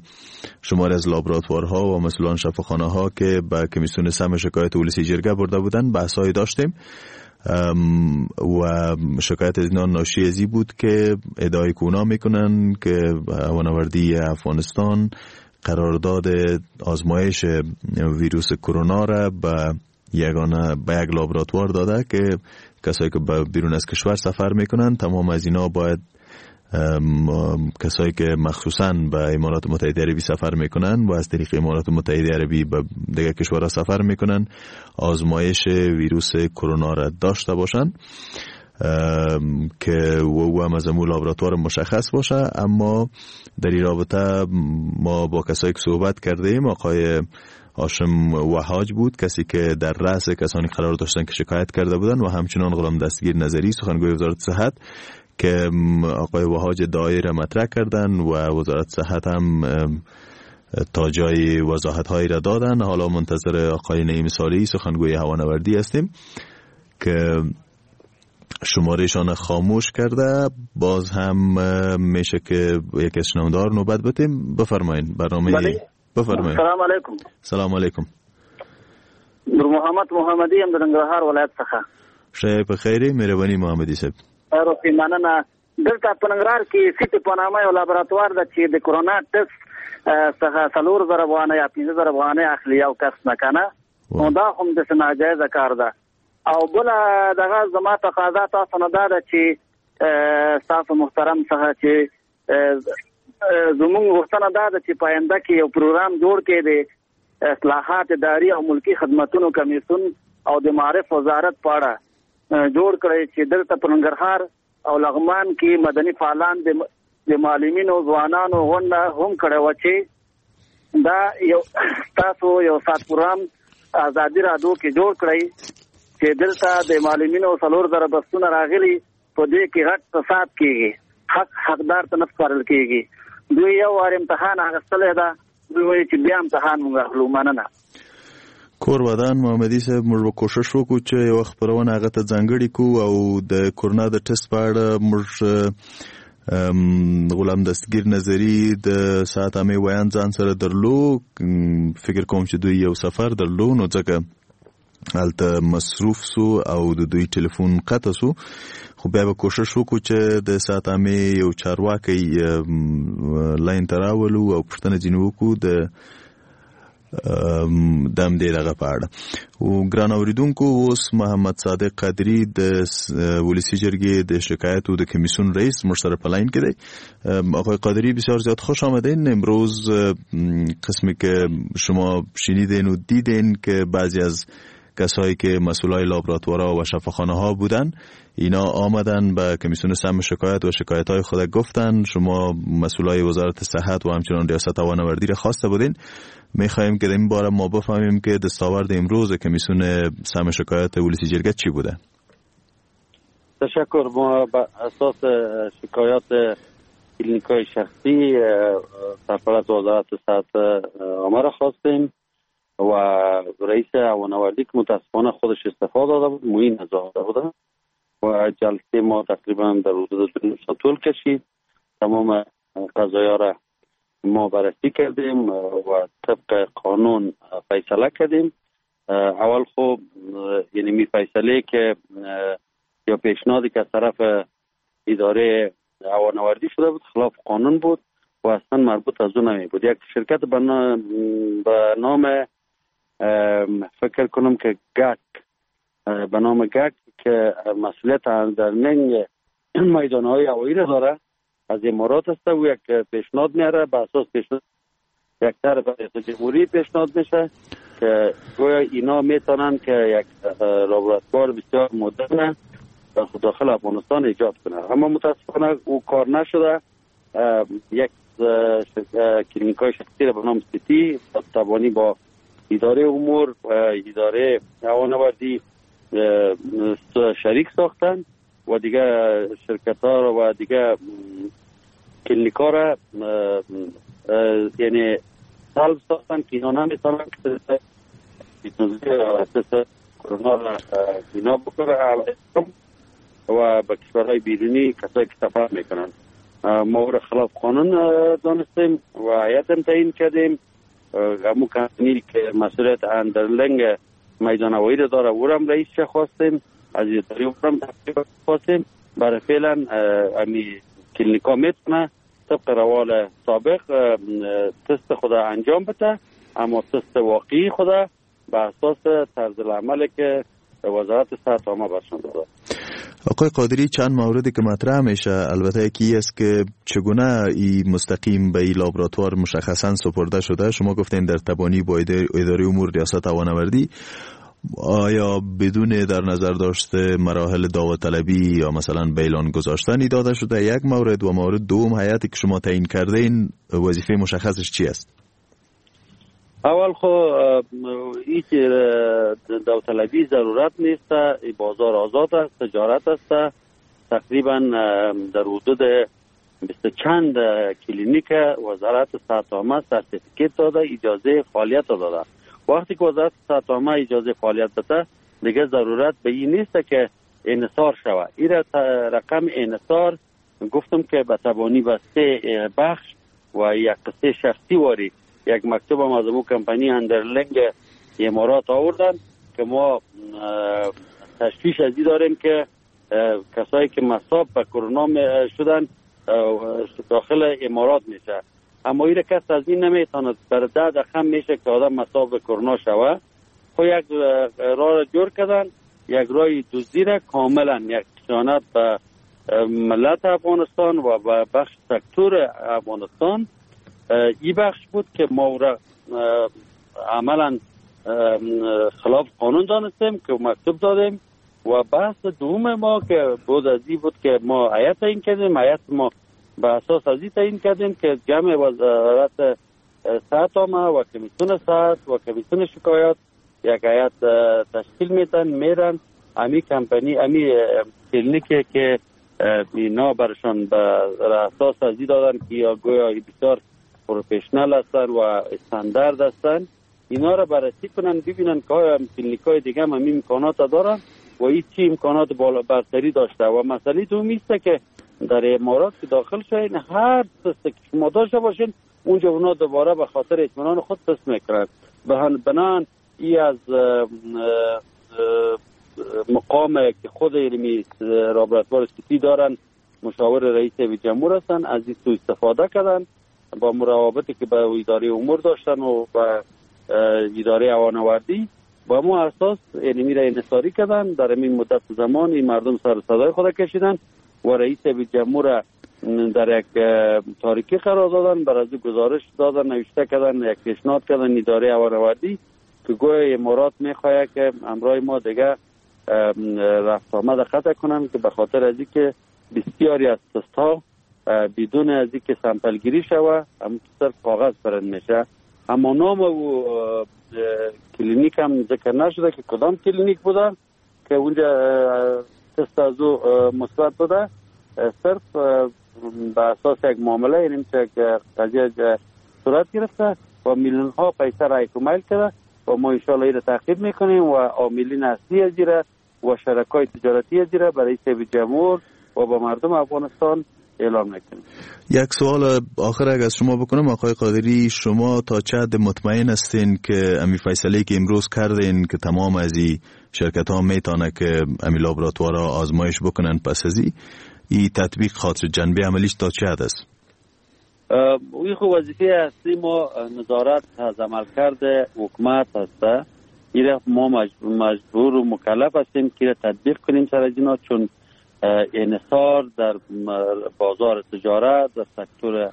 شماری از لابراتوارها و مسئولان شفاخانه ها که به کمیسیون سم شکایت ولسی جرگه برده بودند بحث‌هایی داشتیم و شکایت از اینا ناشی از این بود که ادعای کونا میکنن که هوانوردی افغانستان قرارداد آزمایش ویروس کرونا را به یگانه به یک لابراتوار داده که کسایی که بیرون از کشور سفر میکنن، تمام از اینا باید کسایی که مخصوصاً به امارات متحده عربی سفر میکنن و از طریق امارات متحده عربی به دیگر کشورها سفر میکنن آزمایش ویروس کرونا را داشته باشن که او هم از امو لابراتوار مشخص باشه. اما در این رابطه ما با کسایی که صحبت کردیم، آقای هاشم وهاج بود، کسی که در رأس کسانی قرار داشتن که شکایت کرده بودن، و همچنان غلام دستگیر نظری سخنگوی وزارت صحت که آقای وهاج ادعای را مطرح کردن و وزارت صحت هم تا جای وضاحت هایی را دادن. حالا منتظر آقای نعیم صالحی سخنگوی هوانوردی هستیم که شمارهشان خاموش کرده. باز هم میشه که یک از شنونده‌ها نوبت بدیم. بفرمایین برنامه. بفرمایین. سلام علیکم. سلام علیکم. نور محمد محمدی یم د ننګرهار ولایت څخه. ښه په خیر، مهرباني محمدي صاحب. روفي مننه. دلته په ننګرهار کې سیټي په نامه یو لابراتوار ده چې د کرونا ټسټ څخه څلور زره افغانۍ یا پنځه زره افغانۍ اخلي یو کس نه کنه، نو دا هم داسې ناجایزه کار ده. او بله دغه زما تقاضا تاسو نه دا ده چې ستاسو محترم څخه چې زموږ غوښتنه دا ده چې په آینده کې یو پروګرام جوړ کړي د اصلاحات اداري او ملکي خدمتونو کمیسیون او د معارف وزارت په اړه جوړ کړي چې دلته په ننګرهار او لغمان کې مدني فعالان د معلمینو ځوانانو غونډه هم کړې وه چې دا یو تاسو یو سات پروګرام ازادي رادیو کې جوړ کړئ چې دلته د معلمینو څلور زره بستونه راغلي، په دې کې غټ فساد کیږي، حق حقدار ته نه سپارل کیږي. دوی یو وار امتحان اخیستلی ده، دوی وایي چې بیا امتحان موږ اخلو. مننه. کور ودان محمدي صاحب، موږ به کوشش وکړو چې یوه خپرونه هغه ته ځانګړې کړو او د کرونا د ټسټ په اړه موږ غلام دستګیر نظری د ساعت عامې ویاند ځان سره درلو. فکر کوم چې دوی یو سفر درلو، نو ځکه هلته مصروف سو او د دوی ټلیفون قطع سو. خو بیا به کوشش وکړو چې د ساعت عامې یو چارواکی لاین ته راولو او پوښتنه ځینې وکړو د د همدې دغه په اړه. او ګران اوریدونکو، اوس محمد صادق قادري د ولسی جرګې د شکایتو د کمیسیون رئیس موږ سره په لاین کې دی. آقای قادری بسیار زیاد خوش آمدین. امروز قسمی که شما شنیدین و دیدین که بعضی از کسایی که مسئولای لابراتوارها و شفاخانه ها بودن اینا آمدن به کمیسیون سم شکایت و شکایت های خود گفتن. شما مسئولای وزارت صحت و همچنان ریاست هوانوردی را خواسته بودین. میخواهیم که در این باره ما بفهمیم که دستاورد امروز کمیسیون سم شکایت ولسی جرگه چی بوده. تشکر. ما به اساس شکایات کلینیک‌های شخصی سرپرست وزارت صحت عامه را خواستیم و رئیس هوانوردی که متاسفانه خودش استعفا داده بود، معین زاده بوده، و جلسه ما تقریبا در حدود دو ساعت طول کشید. تمام قضایا را ما بررسی کردیم و طبق قانون فیصله کردیم. اول خب یعنی می فیصله که یا پیشنهادی که از طرف اداره هوانوردی شده بود خلاف قانون بود و اصلا مربوط از اون نمی بود. یک شرکت به نام فکر کنم که گک، به نام گک که مسئولیت در ننگ میدانهای هوایی را داره، از امارات است، و یک پیشنهاد میاره. به اساس پیشنهاد یک طرف ریاست جمهوری پیشنهاد میشه که گویا اینا میتونن که یک لابراتوار بسیار مدرن در داخل افغانستان ایجاد کنه، اما متاسفانه او کار نشده. یک کلینیکای شخصی را به نام سیتی توانی با اداره امور و اداره هوانوردی شریک ساختن و دیگه شرکت ها و دیگه کلینیک ها را یعنی سلب ساختن که اینا نمیتونن که کرونا را اینا بکنه و به کشورهای بیرونی کسایی که سفر میکنن. ما او را خلاف قانون دانستیم و هیئت هم تعیین کردیم. همون کمپانی که مسئولیت اندرلنگ میدان هوایی را داره او را هم رئیس خواستیم، از اداره او را هم خواستیم. برای فعلا امی کلینیکا میتونه طبق روال سابق تست خود انجام بده، اما تست واقعی خود به اساس طرز العمل که وزارت صحت عامه برشان داده. آقای قادری، چند موردی که مطرح میشه، البته یکی است که چگونه این مستقیم به این لابراتوار مشخصا سپرده شده. شما گفتین در تبانی با اداره امور ریاست هوانوردی، آیا بدون در نظر داشت مراحل داوطلبی یا مثلا به اعلان گذاشتن داده شده؟ یک مورد. و مورد دوم، هیئتی که شما تعیین کرده این وظیفه مشخصش چی است؟ اول خو هیچ داوطلبی ضرورت نیست، بازار آزاد است، تجارت است. تقریبا در حدود بیست چند کلینیک وزارت صحت عامه certificate داده، اجازه فعالیت داده. وقتی که وزارت صحت عامه اجازه فعالیت بده، دیگه ضرورت به این نیست که انحصار شود. این رقم انحصار گفتم که به تبانی به سه بخش و یک قصه شخصی واری یک مکتوب هم از او کمپانی اندرلنگ امارات آوردن که ما تشویش از این داریم که کسایی که مصاب به کرونا شدن داخل امارات میشه، اما این کس از این نمیتونه بر ده دقیقه میشه که آدم مصاب به کرونا شوه. خب یک راه را جور کردن، یک راه دزدی را کاملا یک خیانت به ملت افغانستان و به بخش سکتور افغانستان. این بخش بود که ما را عملا خلاف قانون دانستیم که مکتوب دادیم. و بحث دوم ما که بود از این بود که ما هیئت تعیین کردیم، هیئت ما به اساس از این تعیین کردیم که جمع وزارت صحت عامه و کمیسیون صحت و کمیسیون شکایات یک هیئت تشکیل میتن، میرن امی کمپانی امی کلینیک که اینا برشان به اساس از این دادن که یا گویا بسیار professional هستن و استاندارد هستن، اینا را بررسی کنن، ببینن که آیا کلینیک های دیگه هم همین امکانات دارن و این چی امکانات بالا برتری داشته. و مسئله دومی است که در امارات که داخل شوین، هر تست که شما داشته باشین اونجا اونا دوباره به خاطر اطمینان خود تست میکنن. بنان ای از مقام که خود علمی لابراتوار سیتی دارن، مشاور رئیس جمهور هستن، از این سوء استفاده کردن با مروابطی که به اداره امور داشتن و به اداره هوانوردی، با مو اساس علمی را انحصاری کردن. در این مدت زمان این مردم سر صدای خود کشیدن و رئیس جمهور در یک تاریکی قرار دادن، بر از گزارش دادن، نوشته کردن، یک پیشنهاد کردن اداره هوانوردی که گویا امارات میخواد که امرای ما دیگه رفت آمد قطع کنن، که به خاطر از اینکه بسیاری از تست ها بدون از اینکه sample گیری شوه هم صرف کاغذ پرند میشه. اما نام و کلینیک هم ذکر نشده که کدام کلینیک بوده که اونجا تست از او مثبت بوده. صرف به اساس یک معامله یعنی یک قضیه صورت گرفته و میلیون ها پیسه را اکمال کرده و ما انشاءالله این را تعقیب میکنیم و عاملین اصلی از و شرکای تجارتی از را برای رئیس جمهور و با مردم افغانستان اعلام میکنیم. یک سوال آخر اگر از شما بکنم آقای قادری، شما تا چه حد مطمئن هستین که امی فیصله که امروز کردین که تمام از این شرکت ها میتونه که امی لابراتوارها آزمایش بکنن پس از این ای تطبیق خاطر جنبه عملیش تا چه حد است؟ اوی خو وظیفه اصلی ما نظارت از عملکرد حکومت هست. این ما مجبور و مکلف هستیم که تطبیق کنیم سر از اینا، چون انحصار در بازار تجارت در سکتور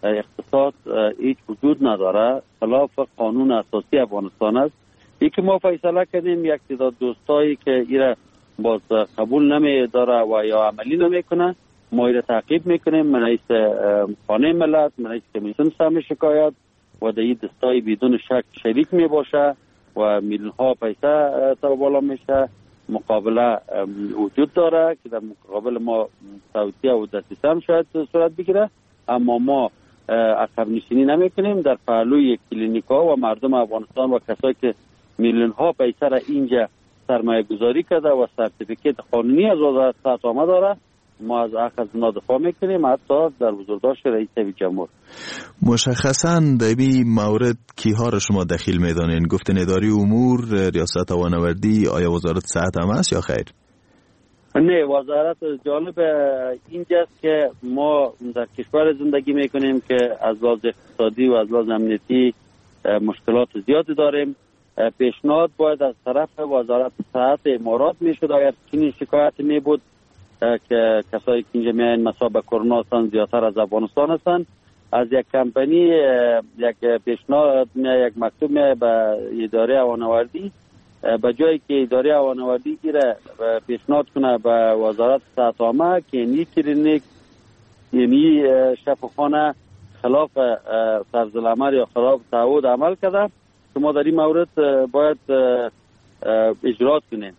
اقتصاد هیچ وجود نداره، خلاف قانون اساسی افغانستان است. ای که ما فیصله کردیم یک تعداد دوستایی که ایره باز قبول نمی داره و یا عملی نمیکنه، ما ایره تعقیب میکنیم. من رئیس خانه ملت، من رئیس کمیسیون سهم شکایت و در این دستای بدون شک شریک می باشه و میلیون ها پیسه سر بالا میشه. مقابله وجود داره که در مقابل ما توطئه و دسیسه هم شاید صورت بگیره، اما ما عقب نشینی نمیکنیم. در پهلوی کلینیک ها و مردم افغانستان و کسایی که میلیون ها پیسه را اینجا سرمایه گذاری کرده و certificate قانونی از وزارت صحت عامه داره، ما از حق از اونا دفاع میکنیم، حتی در بزرگداشت رئیس جمهور. مشخصاً در این مورد کیها را شما دخیل میدانین؟ گفتن اداره امور، ریاست هوانوردی، آیا وزارت صحت هم است یا خیر؟ نه، وزارت جالب اینجاست که ما در کشور زندگی میکنیم که از لحاظ اقتصادی و از لحاظ امنیتی مشکلات زیادی داریم. پیشنهاد باید از طرف وزارت صحت امارات میشد اگر چنین شکایت می بود که کسایی که اینجا میاین مثلا به کرونا هستن زیادتر از افغانستان هستن، از یک کمپانی یک پیشنهاد میاد، یک مکتوب میاد به اداره هوانوردی، به جایی که اداره هوانوردی گیره پیشنهاد کنه به وزارت صحت عامه که اینی کلینیک اینی شفاخانه خلاف طرز العمل یا خلاف تعهد عمل کرده، شما در این مورد باید اجرات کنین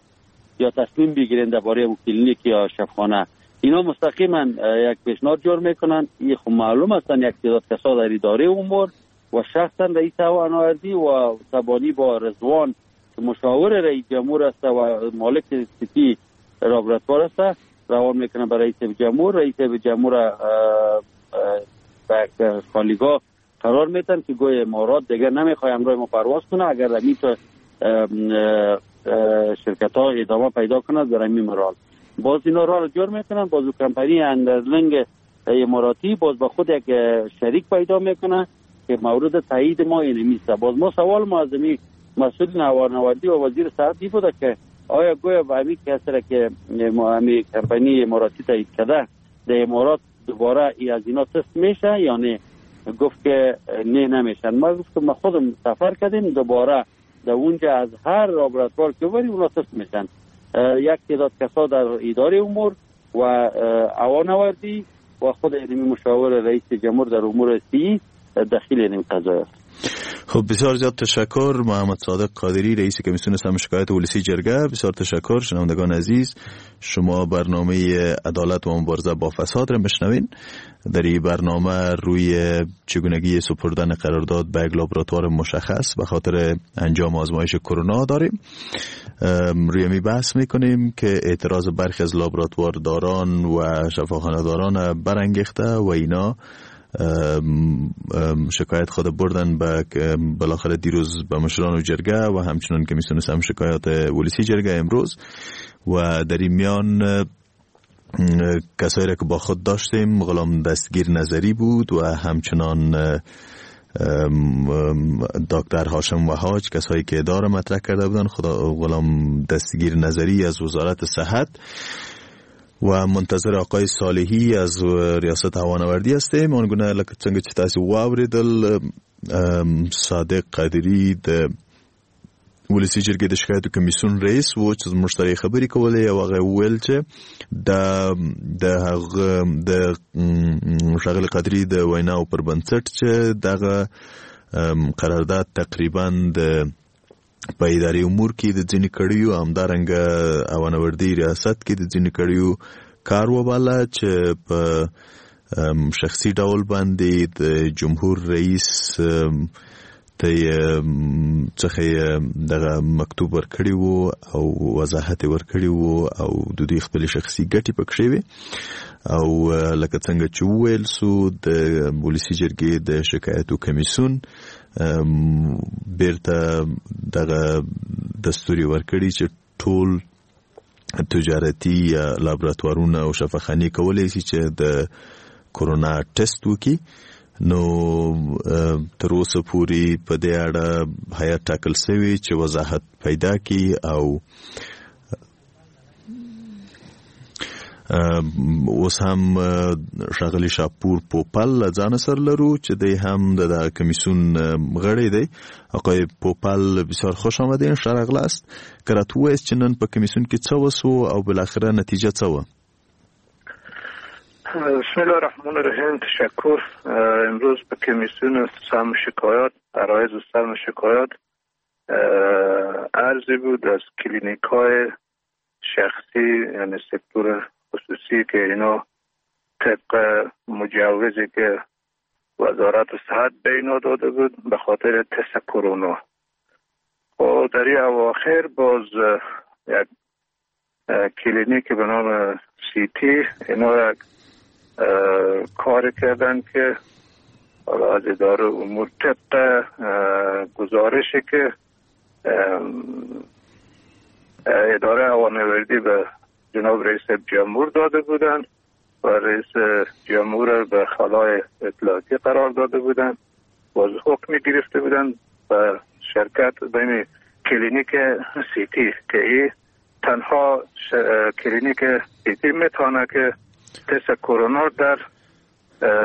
یا تصمیم بگیرین درباره اون کلینیک یا شفاخانه. اینا مستقیما یک پیشنهاد جور میکنن. این خب معلوم هستن یک تعداد کسا در اداره امور و شخصا رئیس هوانوردی و تبانی با رضوان که مشاور رئیس جمهور است و مالک سیتی لابراتوار است روان میکنه برای رئیس جمهور. رئیس جمهور به خالیگاه قرار میتن که گوی امارات دیگر نمیخوای همراه ما پرواز کنه اگر همین شرکت ها ادامه پیدا کنه در همین مرال. باز اینا را جور میکنن، باز کمپانی اندرلنگ اماراتی باز با خود یک شریک پیدا میکنه که مورد تایید ما اینمیست. باز ما سوال ما از این مسئول هوانوردی و وزیر صحت ای بوده که آیا گویا به همین کسی را که همین کمپانی اماراتی تایید کرده در امارات دوباره ای از اینا تست میشه یا نه؟ گفت که نه نمیشن. ما گفت که ما خودم سفر کردیم دوباره در اونجا از هر لابراتوار که ببریم اونا تست میشن. یک تعداد کسا در اداره امور و هوانوردی و خود علمی مشاور رئیس جمهور در امور سی دخیل این قضایا است. خب بسیار زیاد تشکر محمد صادق قادری رئیس کمیسیون سم شکایت ولسی جرگه. بسیار تشکر. شنوندگان عزیز، شما برنامه عدالت و مبارزه با فساد را میشنوین. در این برنامه روی چگونگی سپردن قرارداد به یک لابراتوار مشخص به خاطر انجام آزمایش کرونا داریم. روی می بحث میکنیم که اعتراض برخی از لابراتوار داران و شفاخانه داران برانگیخته و اینا شکایت خود بردن به بالاخره دیروز به مشران و جرگه و همچنان کمیسیون سم شکایات ولسی جرگه امروز. و در این میان کسایی را که با خود داشتیم غلام دستگیر نظری بود و همچنان دکتر هاشم وهاج، کسایی که اداره مطرح کرده بودن. خدا غلام دستگیر نظری از وزارت صحت و منتظر آقای صالحی از ریاست هوانوردی هستیم. آنگونه لکه څنګه چې تاسو واورېدل صادق قادری د ولسی جرګې د شکایتو کمیسیون رئیس و چې زموږ سره یې خبرې کولې او هغه وویل چې د د هغه د ښاغلي قادري د ویناو پر بنسټ چې دغه قرارداد تقریبا د په اداري امور کې د ځینې کړیو همدارنګه هوانوردي ریاست کې د ځینې کړیو کار وباله چې په شخصي ډول باندې د جمهور رئیس ته څخه دغه مکتوب ورکړی وو او وضاحت ورکړی وو او د دوی خپل شخصي ګټې پکښې وې. او لکه څنګه چې وویل سو د ولسی جرګې د شکایتو کمیسیون بیرته دغه دستوري ورکړي چې ټول تجارتي لابراتوارونه او شفاخانې کولی شي چې د کرونا ټیسټ وکړي. نو تر اوسه پورې په دې اړه هیئت ټاکل شوی چې وضاحت پیدا کړي او اوس هم ښاغلی شاپور پوپل له ځانه سره لرو چې دی هم د دغه کمیسیون غړی دی. آقای پوپل بسیار خوش آمدین، ښه راغلاست. که راته ووایاست چې نن په کمیسیون کې څه وسو او بالاخره نتیجه څه وه؟ بسم الله الرحمن الرحیم. تشکر. امروز به کمیسیون سم شکایات عرایض سم شکایات عرضی بود از کلینیک های شخصی یعنی سکتور خصوصی که اینا طبق مجوزی که وزارت صحت به اینا داده بود به خاطر تست کرونا. و در این اواخر باز یک کلینیک به نام سیتی اینا یک کار کردن که حالا از اداره امور طبق گزارشی که اداره هوانوردی به جناب رئیس جمهور داده بودند و رئیس جمهور به خلای اطلاعاتی قرار داده بودند، باز حکم گرفته بودند به شرکت بین کلینیک سیتی که ای تنها کلینیک سیتی میتونه که تست کرونا در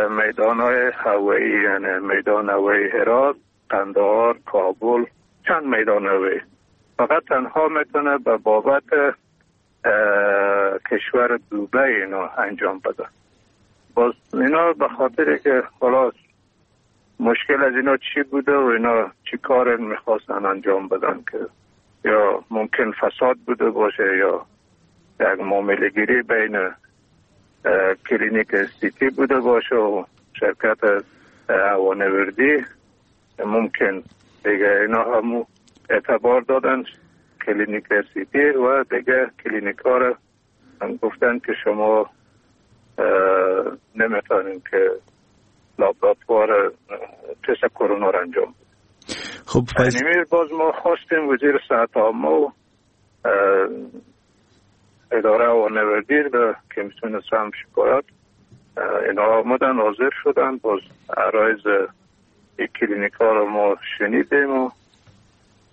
میدان های هوایی، یعنی میدان هوایی هرات، قندهار، کابل، چند میدان هوایی، فقط تنها میتونه به بابت کشور دوبی اینا انجام بده. باز اینا به خاطر که خلاص مشکل از اینا چی بوده و اینا چی کار میخواستن انجام بدن که یا ممکن فساد بوده باشه یا یک معامله گیری بین کلینیک سیتی بوده باشه و شرکت هوانوردی، ممکن دیگه اینا همو اعتبار دادن کلینیک سیتی و دیگه کلینیک ها رو هم گفتن که شما نمیتونین که لابراتوار تست کرونا رو انجام بدید. خب فیض... باز ما خواستیم وزیر صحت عامه و اداره هوانوردی به کمیسیون سهم شکایات اینا آمدن حاضر شدن، باز عرایض کلینیک ها رو ما شنیدیم و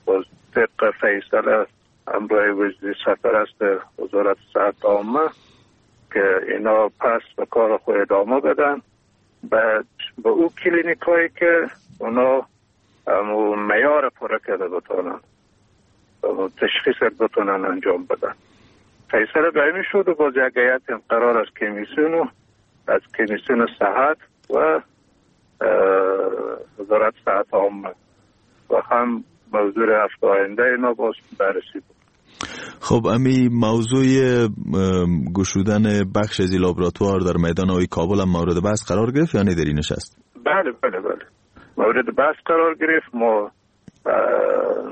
باز طبق فیصله همراه وزیر سرپرست وزارت صحت عامه که اینا پس به کار خود ادامه بدن بعد به او کلینیک هایی که اونا معیار پره کرده بتونن تشخیص بتونن انجام بدن. فیصله به این شد و باز یک هیئت قرار از کمیسیون و از کمیسیون صحت و وزارت صحت عامه و هم موضوع هفته آینده اینا باز بررسی بود. خب امی موضوع گشودن بخش از لابراتوار در میدان هوایی کابل هم مورد بحث قرار گرفت یا نه در این نشست؟ بله بله بله مورد بحث قرار گرفت. ما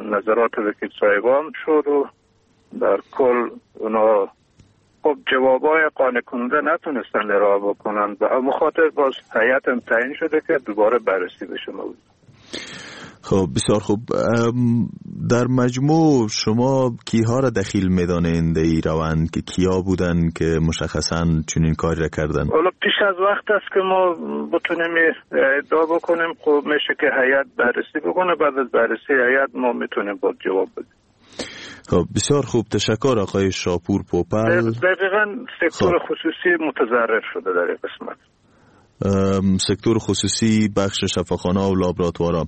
نظرات وکیل صاحبان شد و در کل اونا خب جوابای قانع کننده نتونستن ارائه بکنن و همون خاطر باز هیئت هم تعیین شده که دوباره بررسی بشه موضوع. خب بسیار خوب. در مجموع شما کیها را دخیل میدانین در این روند که کیا بودن که مشخصاً چنین کاری را کردن؟ حالا پیش از وقت است که ما بتونیم ادعا بکنیم. خب میشه که هیئت بررسی بکنه، بعد از بررسی هیئت ما میتونیم با جواب بدیم. خب بسیار خوب، تشکر آقای شاپور پوپل. دقیقاً سکتور خصوصی متضرر شده در این قسمت، سکتور خصوصی، بخش شفاخانه و لابراتوارا.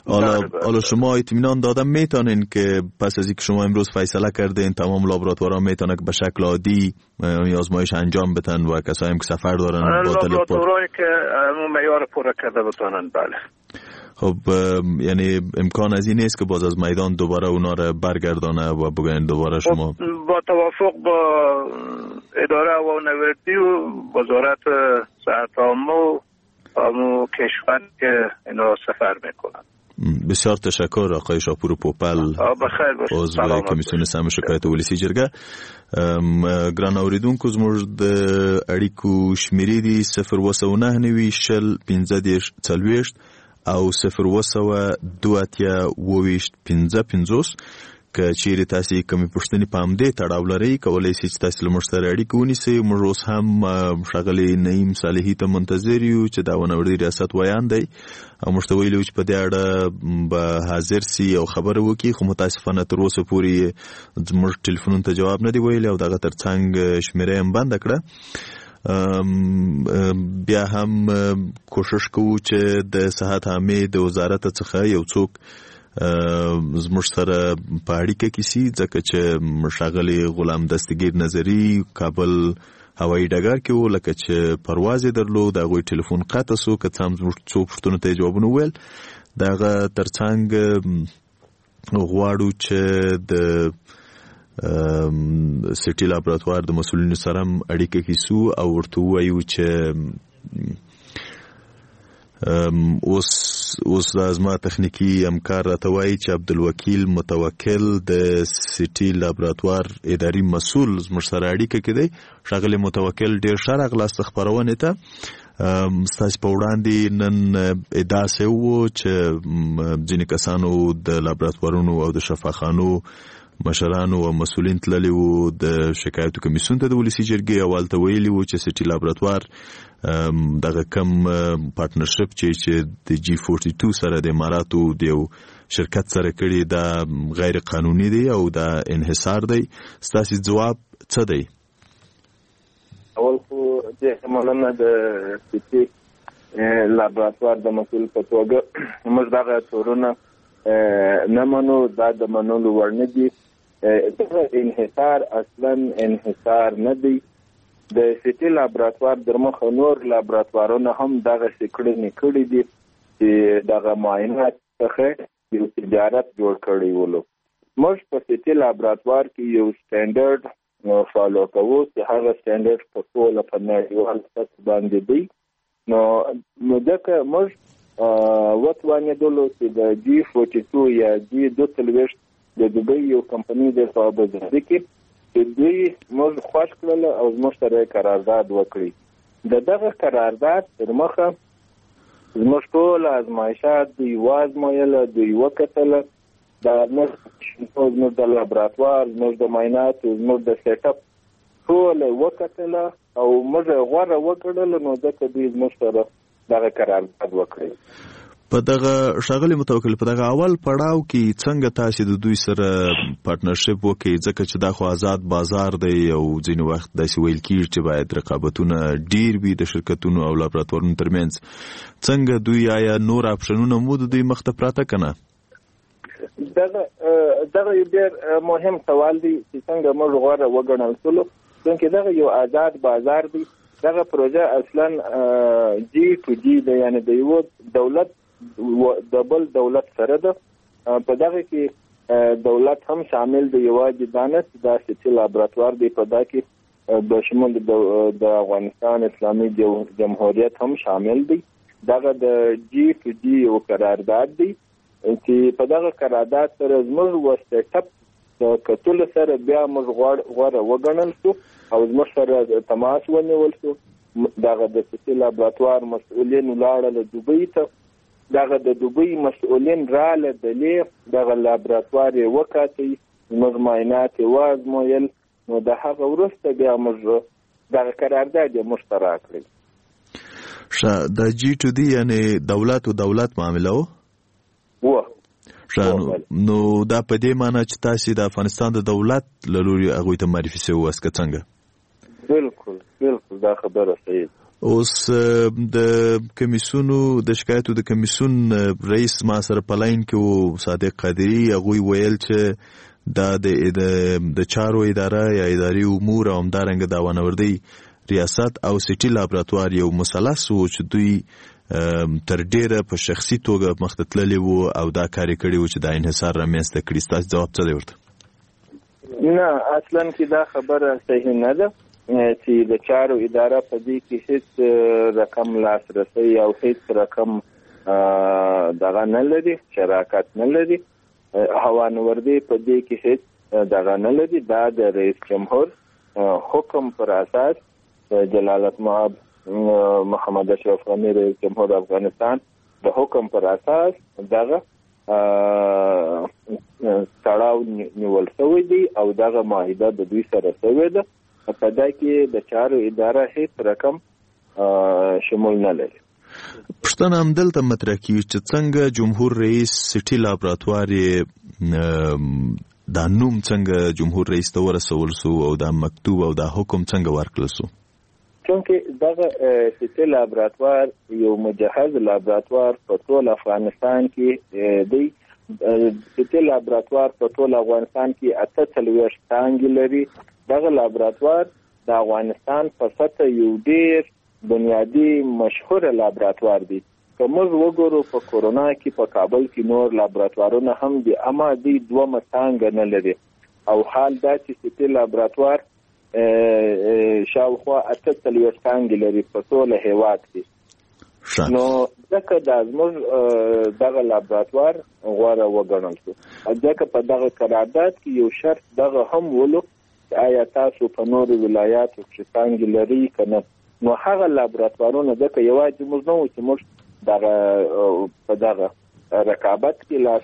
حالا حالا شما اطمینان دادم میتونین که پس از اینکه شما امروز فیصله کردین تمام لابراتوارا میتونن که به شکل عادی آزمایش انجام بدن و کسایی هم که سفر دارن با لابراتوارایی که معیار پر کرده بتونن. بله. خب یعنی امکان از این نیست که باز از میدان دوباره اونا را برگردانه و بگن دوباره شما با توافق با اداره هوانوردی و وزارت صحت عامه و همو کشور که اینا سفر میکنن. بسیار تشکر آقای شاپور پوپل، عضو کمیسیون سم شکایت ولسی جرګه. ګران اوریدونکو زموږ د اړیکو شمیرې دي صفر اووه سوه نهه نوي شل پنځه دېرش څلوېښت او صفر اووه سوه دوه اتیا اووه ویشت پنځه پنځوس. که چیرې تاسې کومې پوښتنې په همدې تړاو لرئ کولی شئ چې تاسې له موږ سره اړیکه ونیسئ. موږ اوس هم ښاغلي نعیم صالحي ته منتظر یو چې د هوانوردي ریاست ویاند دی او موږ ته ویلي وو چې په دې اړه به حاضر سي او خبره وکړي، خو متاسفانه تر اوسه پورې زموږ ټلیفونونو ته جواب نه دی ویلی او دغه ترڅنګ شمېره یې هم بنده کړه. بیا هم کوشش کوو چې د صحت عامې د وزارت څخه یو څوک زموږ سره په اړیکه کې سي، ځکه چې ښاغلی غلام دستګیر نظري کابل هوایي ډګر کې و، لکه چې پرواز یې درلود، د هغوی ټلیفون قطع سو، که څه هم زموږ څو پوښتنو ته یې جوابونه وویل. د هغه ترڅنګ غواړو چې د سیټي لابراتوار د مسؤلینو سره هم اړیکه کې سو او ورته ووایو چې اوس اوس دا زما تخنیکي همکار راته وایي چې عبدالوکیل متوکل د سیټي لابراتوار اداري مسؤل زموږ سره اړیکه کې دی. ښاغلی متوکل، ډېر ښه راغلاست خپرونې ته. ستاسې په وړاندې نن ادعا سوې وو چې ځینې کسانو د لابراتوارونو او د شفاخانو مشرانو او مسؤلین تللي وو د شکایتو کمیسیون ته د ولسي جرګې او هلته ویلي وو چې سټي لابراتوار دغه کم partnership چې چې د جی چهارده دو سره د اماراتو د یو شرکت سره کړی دا غیر قانوني دی او دا انحصار دی. ستاسو ځواب څه دی؟ اول خو ډېره مننه د سټي لابراتوار د مسؤل په توګه موږ دغه تورونه نه منو، دا د منلو وړ نه دي. دغه انحصار اصلا انحصار نه دی. د سټي لابراتوار در مخه نور لابراتوارونه هم دغسې کړنې کړي دي چې دغه معاینات څخه یو تجارت جوړ کړی ولو. موږ په سټي لابراتوار کې یو standard follow کوو چې هغه standard په ټوله په نړیوال سطح باندې دی. نو نو ځکه موږ وتوانېدلو چې د جی چهارده دو یا جی دوه څلوېښت د دوبۍ یو کمپنۍ ده په ابوظبي کې چې دوی موږ خوښ کړل او زموږ سره یې قرارداد وکړي. د دغه قرارداد تر مخه زموږ ټول ازمایشات دوی وازمایله، دوی وکتله، د زموږ زموږ د لابراتوار، زموږ د معایناتو، زموږ د setup ټول یې وکتله او موږ یې غوره وګڼله. نو ځکه دوی زموږ سره دغه قرارداد وکړي. په دغه ښاغلي متوکل، په دغه اول پړاو کې څنګه تاسو د دوی سره partnership وکړئ؟ ځکه چې دا خو آزاد بازار دی او ځینې وخت داسې ویل کیږي چې باید رقابتونه ډیر وي د شرکتونو او لابراتوارونو ترمنځ. څنګه دوی، آیا نور آپشنونه مو د دوی مخته پراته که نه؟ دغه دغه یو ډېر مهم سوال دی چې څنګه موږ غوره وګڼل سولو، چونکې دغه یو آزاد بازار دی. دغه پروژه اصلا جی ټو جی ده، یعنې د یو دولت د بل دولت سره ده. په دغه کې دولت هم شامل دی، یوازې دا نه چې دا سټي لابراتوار دی، په دا کې د شمول د افغانستان اسلامي جمهوریت هم شامل دی. دغه د جی ټو جی یو قرارداد دی چې په دغه قرارداد سره زموږ و setup د کتلو سره بیا موږ غوره وګڼل شو او زموږ سره تماس ونیول شو. دغه د سټي لابراتوار مسؤلین ولاړل دوبۍ ته، دغه د دوبۍ مسؤلین راله دلې، دغه لابراتوار یې وکاتی، زموږ معاینات یې وازمویل. نو د هغه وروسته بیا موږ دغه قرارداد یې موږ ته راکړی. ښه، د جی ټو ډي یعنې دولت و دولت معامله وه؟ وه. ښه، نو دا په دې معنی چې تاسې د افغانستان د دولت له لوري هغوی ته معرفي شوي واست که څنګه؟ بالکل بالکل، دا خبره صحیح ده. اوس د کمیسیونو د شکایتو د کمیسیون رئیس ما سره په لاین کې و، صادق قادري، هغوی ویل چې دا د د چارو اداره یا اداري امور او همدارنګه د هوانوردۍ ریاست او سټي لابراتوار یو مثلث و چې دوی تر ډېره په شخصي توګه مخته تللي وو او دا کار یې کړی و چې دا انحصار رامنځته کړي. ستاسو ځواب څه دی ورته؟ نه، اصلا کې دا خبره صحیح نه ده چې د چارو اداره په دې کې هیڅ رقم لاسرسی او هیڅ رقم دغه نه لري، شراکت نه لري. هوانوردۍ په دې کې هیڅ دغه نه لري. دا د رئیس جمهور حکم پر اساس جلالت مآب محمد اشرف غني رئیس جمهور افغانستان د حکم پر اساس دغه تړاو نیول شوی دی او دغه معاهده د دوی سره شوې ده. په دا کې د چارو اداره هیڅ رقم شمول نه لري. پوښتنه همدلته مطرح کیږي چې څنګه جمهور رئیس سټي لابراتوار یې دا نوم څنګه جمهور رئیس ته ورسول سو او دا مکتوب او دا حکم څنګه ورکړل سو؟ چونکه دغه سټي لابراتوار یو مجهز لابراتوار په ټول افغانستان کې دی. سټي لابراتوار په ټول افغانستان کې اته څلوېښت څانګې لري. دغه لابراتوار د افغانستان په سطح یو ډېر بنیادي مشهور لابراتوار دی. که موږ وګورو په کورونا کې په کابل کې نور لابراتوارونه هم دي، اما دوی دوه څانګه نه لري. او حال دا چې سټي لابراتوار شاوخوا اته څلوېښت څانګې لري په ټول هېواد کې. نو ځکه دا زموږ دغه لابراتوار غوره وګڼل شو. ځکه په دغه قرارداد کې یو شرط دغه هم ولو چې آیا تاسو په نورو ولایاتو کې څانګې لرئ که نه. نو هغه لابراتوارونه ځکه یوازې موږ نه وو چې موږ دغه په دغه رقابت کې لاس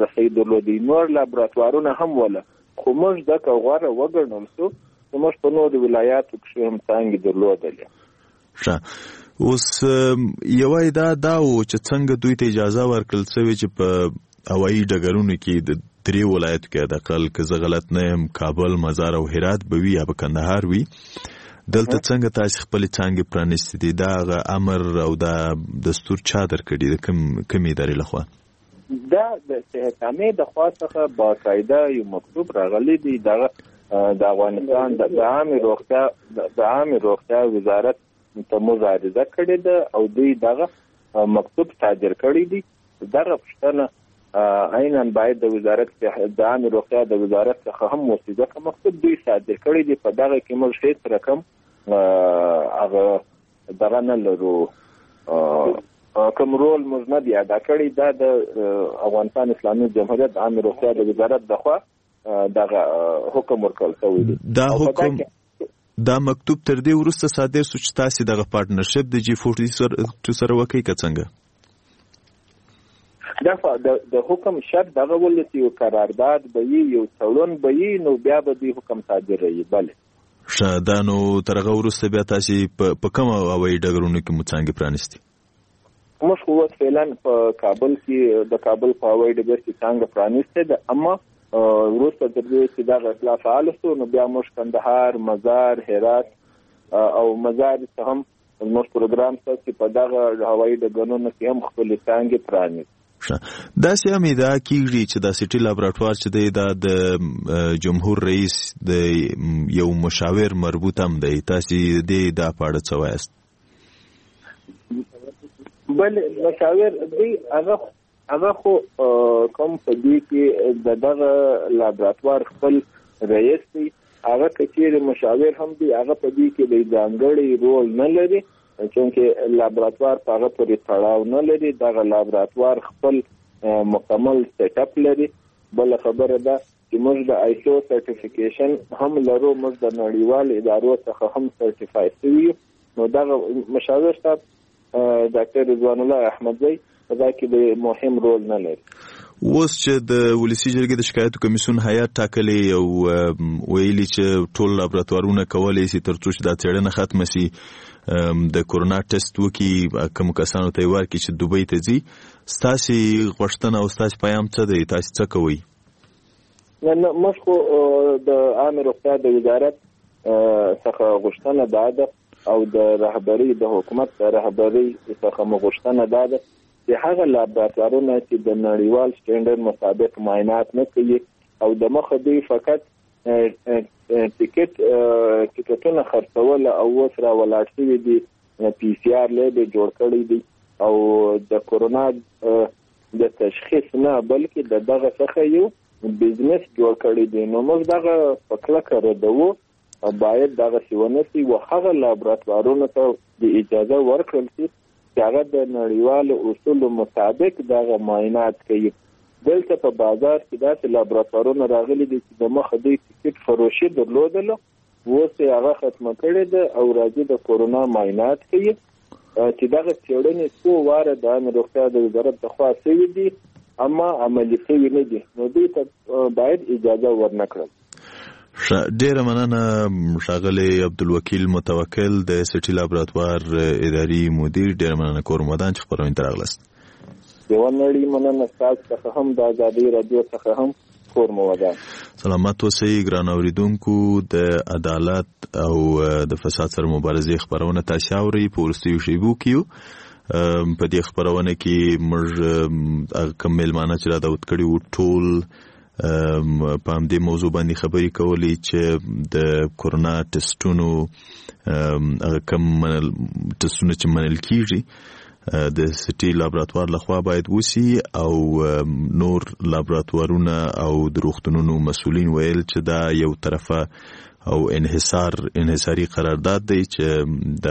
رسۍ درلودې، نور لابراتوارونه هم وله. خو موږ ځکه غوره وګڼل شو چې موږ په نورو ولایاتو کښې هم څانګې درلودلې. ښه، اوس یوه ادعا دا و چې څنګه دوی ته اجازه ورکړل سوې چې په هوایي ډګرونو کې د درې ولایتو کې حداقل که زه غلط نه یم کابل، مزار او هرات به وي یا به کندهار وي، دلته څنګه تاسې خپلې څانګې پرانیستې دي؟ دا هغه امر او دا دستور چا درکړي د کوم کومې ادارې لخوا؟ دا د صحت عامې د خوا څخه باقاعده یو مکتوب راغلی دی. دغه د افغانستان د عامې روغتیا د عامې روغتیا وزارت ته موږ عریضه کړې ده او دوی دغه مکتوب صادر کړی دی. دغه پوښتنه عینا باید د وزارت د عامې روغتیا د وزارت څخه هم وشي، ځکه مکتوب دوی صادر کړی دی. په دغه کې موږ هېڅ رقم هغه دغه نه لرو، کوم رول موږ نه دی ادا کړی. دا د افغانستان اسلامي جمهوریت د عامې روغتیا د وزارت د خوا دغه حکم ورکړل شوی دی. دا حکم دا مکتوب تر دې وروسته صادر شو چې تاسې دغه partnership د جي فورټي ټو سره وکړئ که څنګه؟ دا د حکم شرط دغه ول چې یو قرارداد به یي، یو تړون به یي، نو بیا به دوی حکم صادروي. بله ښه، دا نو تر هغه وروسته بیا تاسې په کومو هوایي ډګرونو کې مو څانګې پرانیستې؟ موږ خو اوس فعلا په کابل کې د کابل په هوایي ډګر کې څانګه پرانیستې ده، اما وروسته تر دې چې دغه اطلاع فعال شو نو بیا موږ کندهار، مزار، هرات او مزار ته هم زموږ پروګرام شته چې په دغه هوایي ډګرونو کې هم خپلې څانګې پرانیزو. ښه، داسې هم ادعا کیږي چې دا سیټي لابراتوار چې دی دا د جمهور رئیس د یو مشاور مربوط هم دی، تاسې دې ادعا په اړه څه وایاست؟ بله، مشاور دی هغه هغه خو کوم په دې کې د دغه لابراتوار خپل رئیس دی، هغه که چیرې مشاور هم دی هغه په دې کې د ځانګړي رول نه لري، چونکه لابراتوار په هغه پورې تړاو نه لري. دغه لابراتوار خپل مکمل set up لري. بله خبره ده چې موږ د ISO certification هم لرو، موږ د نړیوال ادارو څخه هم certify شوي یو. نو دغه مشاور صاحب ډاکټر رضوان الله احمدزی په دا کې د مهم رول نه لري. اوس چې د ولسي جرګې د شکایتو کمیسیون هیات ټاکلی او ویلي چې ټول لابراتوارونه کولی شي تر څو چې دا څېړنه ختمه شي د کرونا ټسټ وکړي، کوم کسانو ته یې ورکړي چې دوبۍ ته ځي، ستاسې غوښتنه او ستاسې پیام څه دی؟ تاسې څه کوئ؟ نه نه، موږ خو د عامې روغتیا د وزارت څخه غوښتنه دا ده او د رهبري د حکومت د رهبري څخه مو غوښتنه دا ده چې هغه لابراتوارونه چې د نړیوال سټنډرډ مطابق معاینات نه کوي او د مخه دوی فقط ټیکټ ټیکټونه خرڅول او اوس را ولاړ شوي دي، پي سي آر lab یې جوړ کړی دی او د کرونا د تشخیص نه بلکې د دغه څخه یو business جوړ کړی دی. نو موږ دغه په کلکه ردوو، باید دغسې ونه شي و هغه لابراتوارونو ته د اجازه ورکړل شي چې هغه د نړیوالو اصولو مطابق دغه معاینات کوي. دلته په بازار کې داسې لابراتوارونه راغلي دي چې د مخه دوی ټیکټ فروشي درلودله، اوس یې هغه ختمه کړې ده او راځي د کرونا معاینات کوي چې دغه څېړنې څو واره د عامې روغتیا د وزارت د خوا شوي دي اما عملي شوي نه دي، نو دوی ته باید اجازه ورنه کړل. ښه، ډېره مننه ښاغلی عبدالوکیل متوکل د سیټي لابراتوار اداري مدیر، ډېره مننه کور مو ودان چې خپرونې ته راغلاست. یوه نړۍ مننه ستاسو څخه هم، د ازادي راډیو څخه هم، کور مو ودان. سلامت اوسئ ګران اورېدونکو. د عدالت او د فساد سره مبارزې خپرونه تاسې اورئ. په وروستیو شیبو کې یو. په دې خپرونه کې موږ هغه کوم مېلمانه چې را دعوت کړي وو ټول په همدې موضوع باندې خبرې کولې چې د کرونا ټسټونو هغه کوم ټسټونه چې منل کیږي د سټي لابراتوار لخوا باید وسی او نور لابراتوارونه او د روغتونونو مسؤلین ویل چې دا یو طرفه او انحصار انحصاري قرارداد دی چې د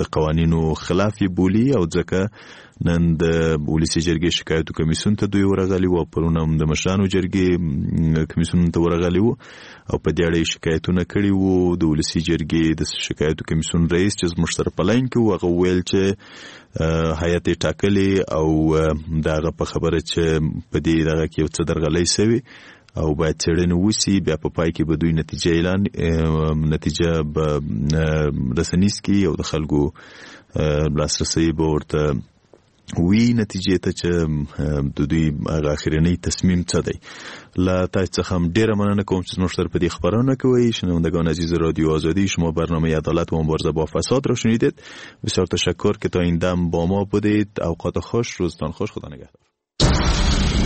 د قوانینو خلاف یې بولي او ځکه نن د ولسي جرګې شکایتو کمیسیون ته دوی ورغلي وو، پرون هم د مشرانو جرګې کمیسیون ته ورغلي وو او په دې اړه یې شکایتونه کړي وو. د ولسي جرګې د شکایتو کمیسیون رئیس چې زموږ سره په لاین کې وو هغه ویل چې هیئت یې ټاکلی او د هغه په خبره چې په دې دغه کې یو څه درغلۍ سوې او باید څېړنې وشي، بیا په پای کې به دوی نتیجه اعلان نتیجه به رسنیز کړي او د خلکو لاسرسی به ورته وي نتیجې ته چې د دوی هغه اخرنی تصمیم څه دی. له تاسو څخه هم ډیره مننه کوم چې زموږ سره په دې خپرونه کې وئ. شنوندگان عزیز رادیو آزادی، شما برنامه عدالت و مبارزه با فساد را شنیدید. بسیار تشکر که تا این دم با ما بودید. اوقات خوش، روزتان خوش، خدا نگهدار.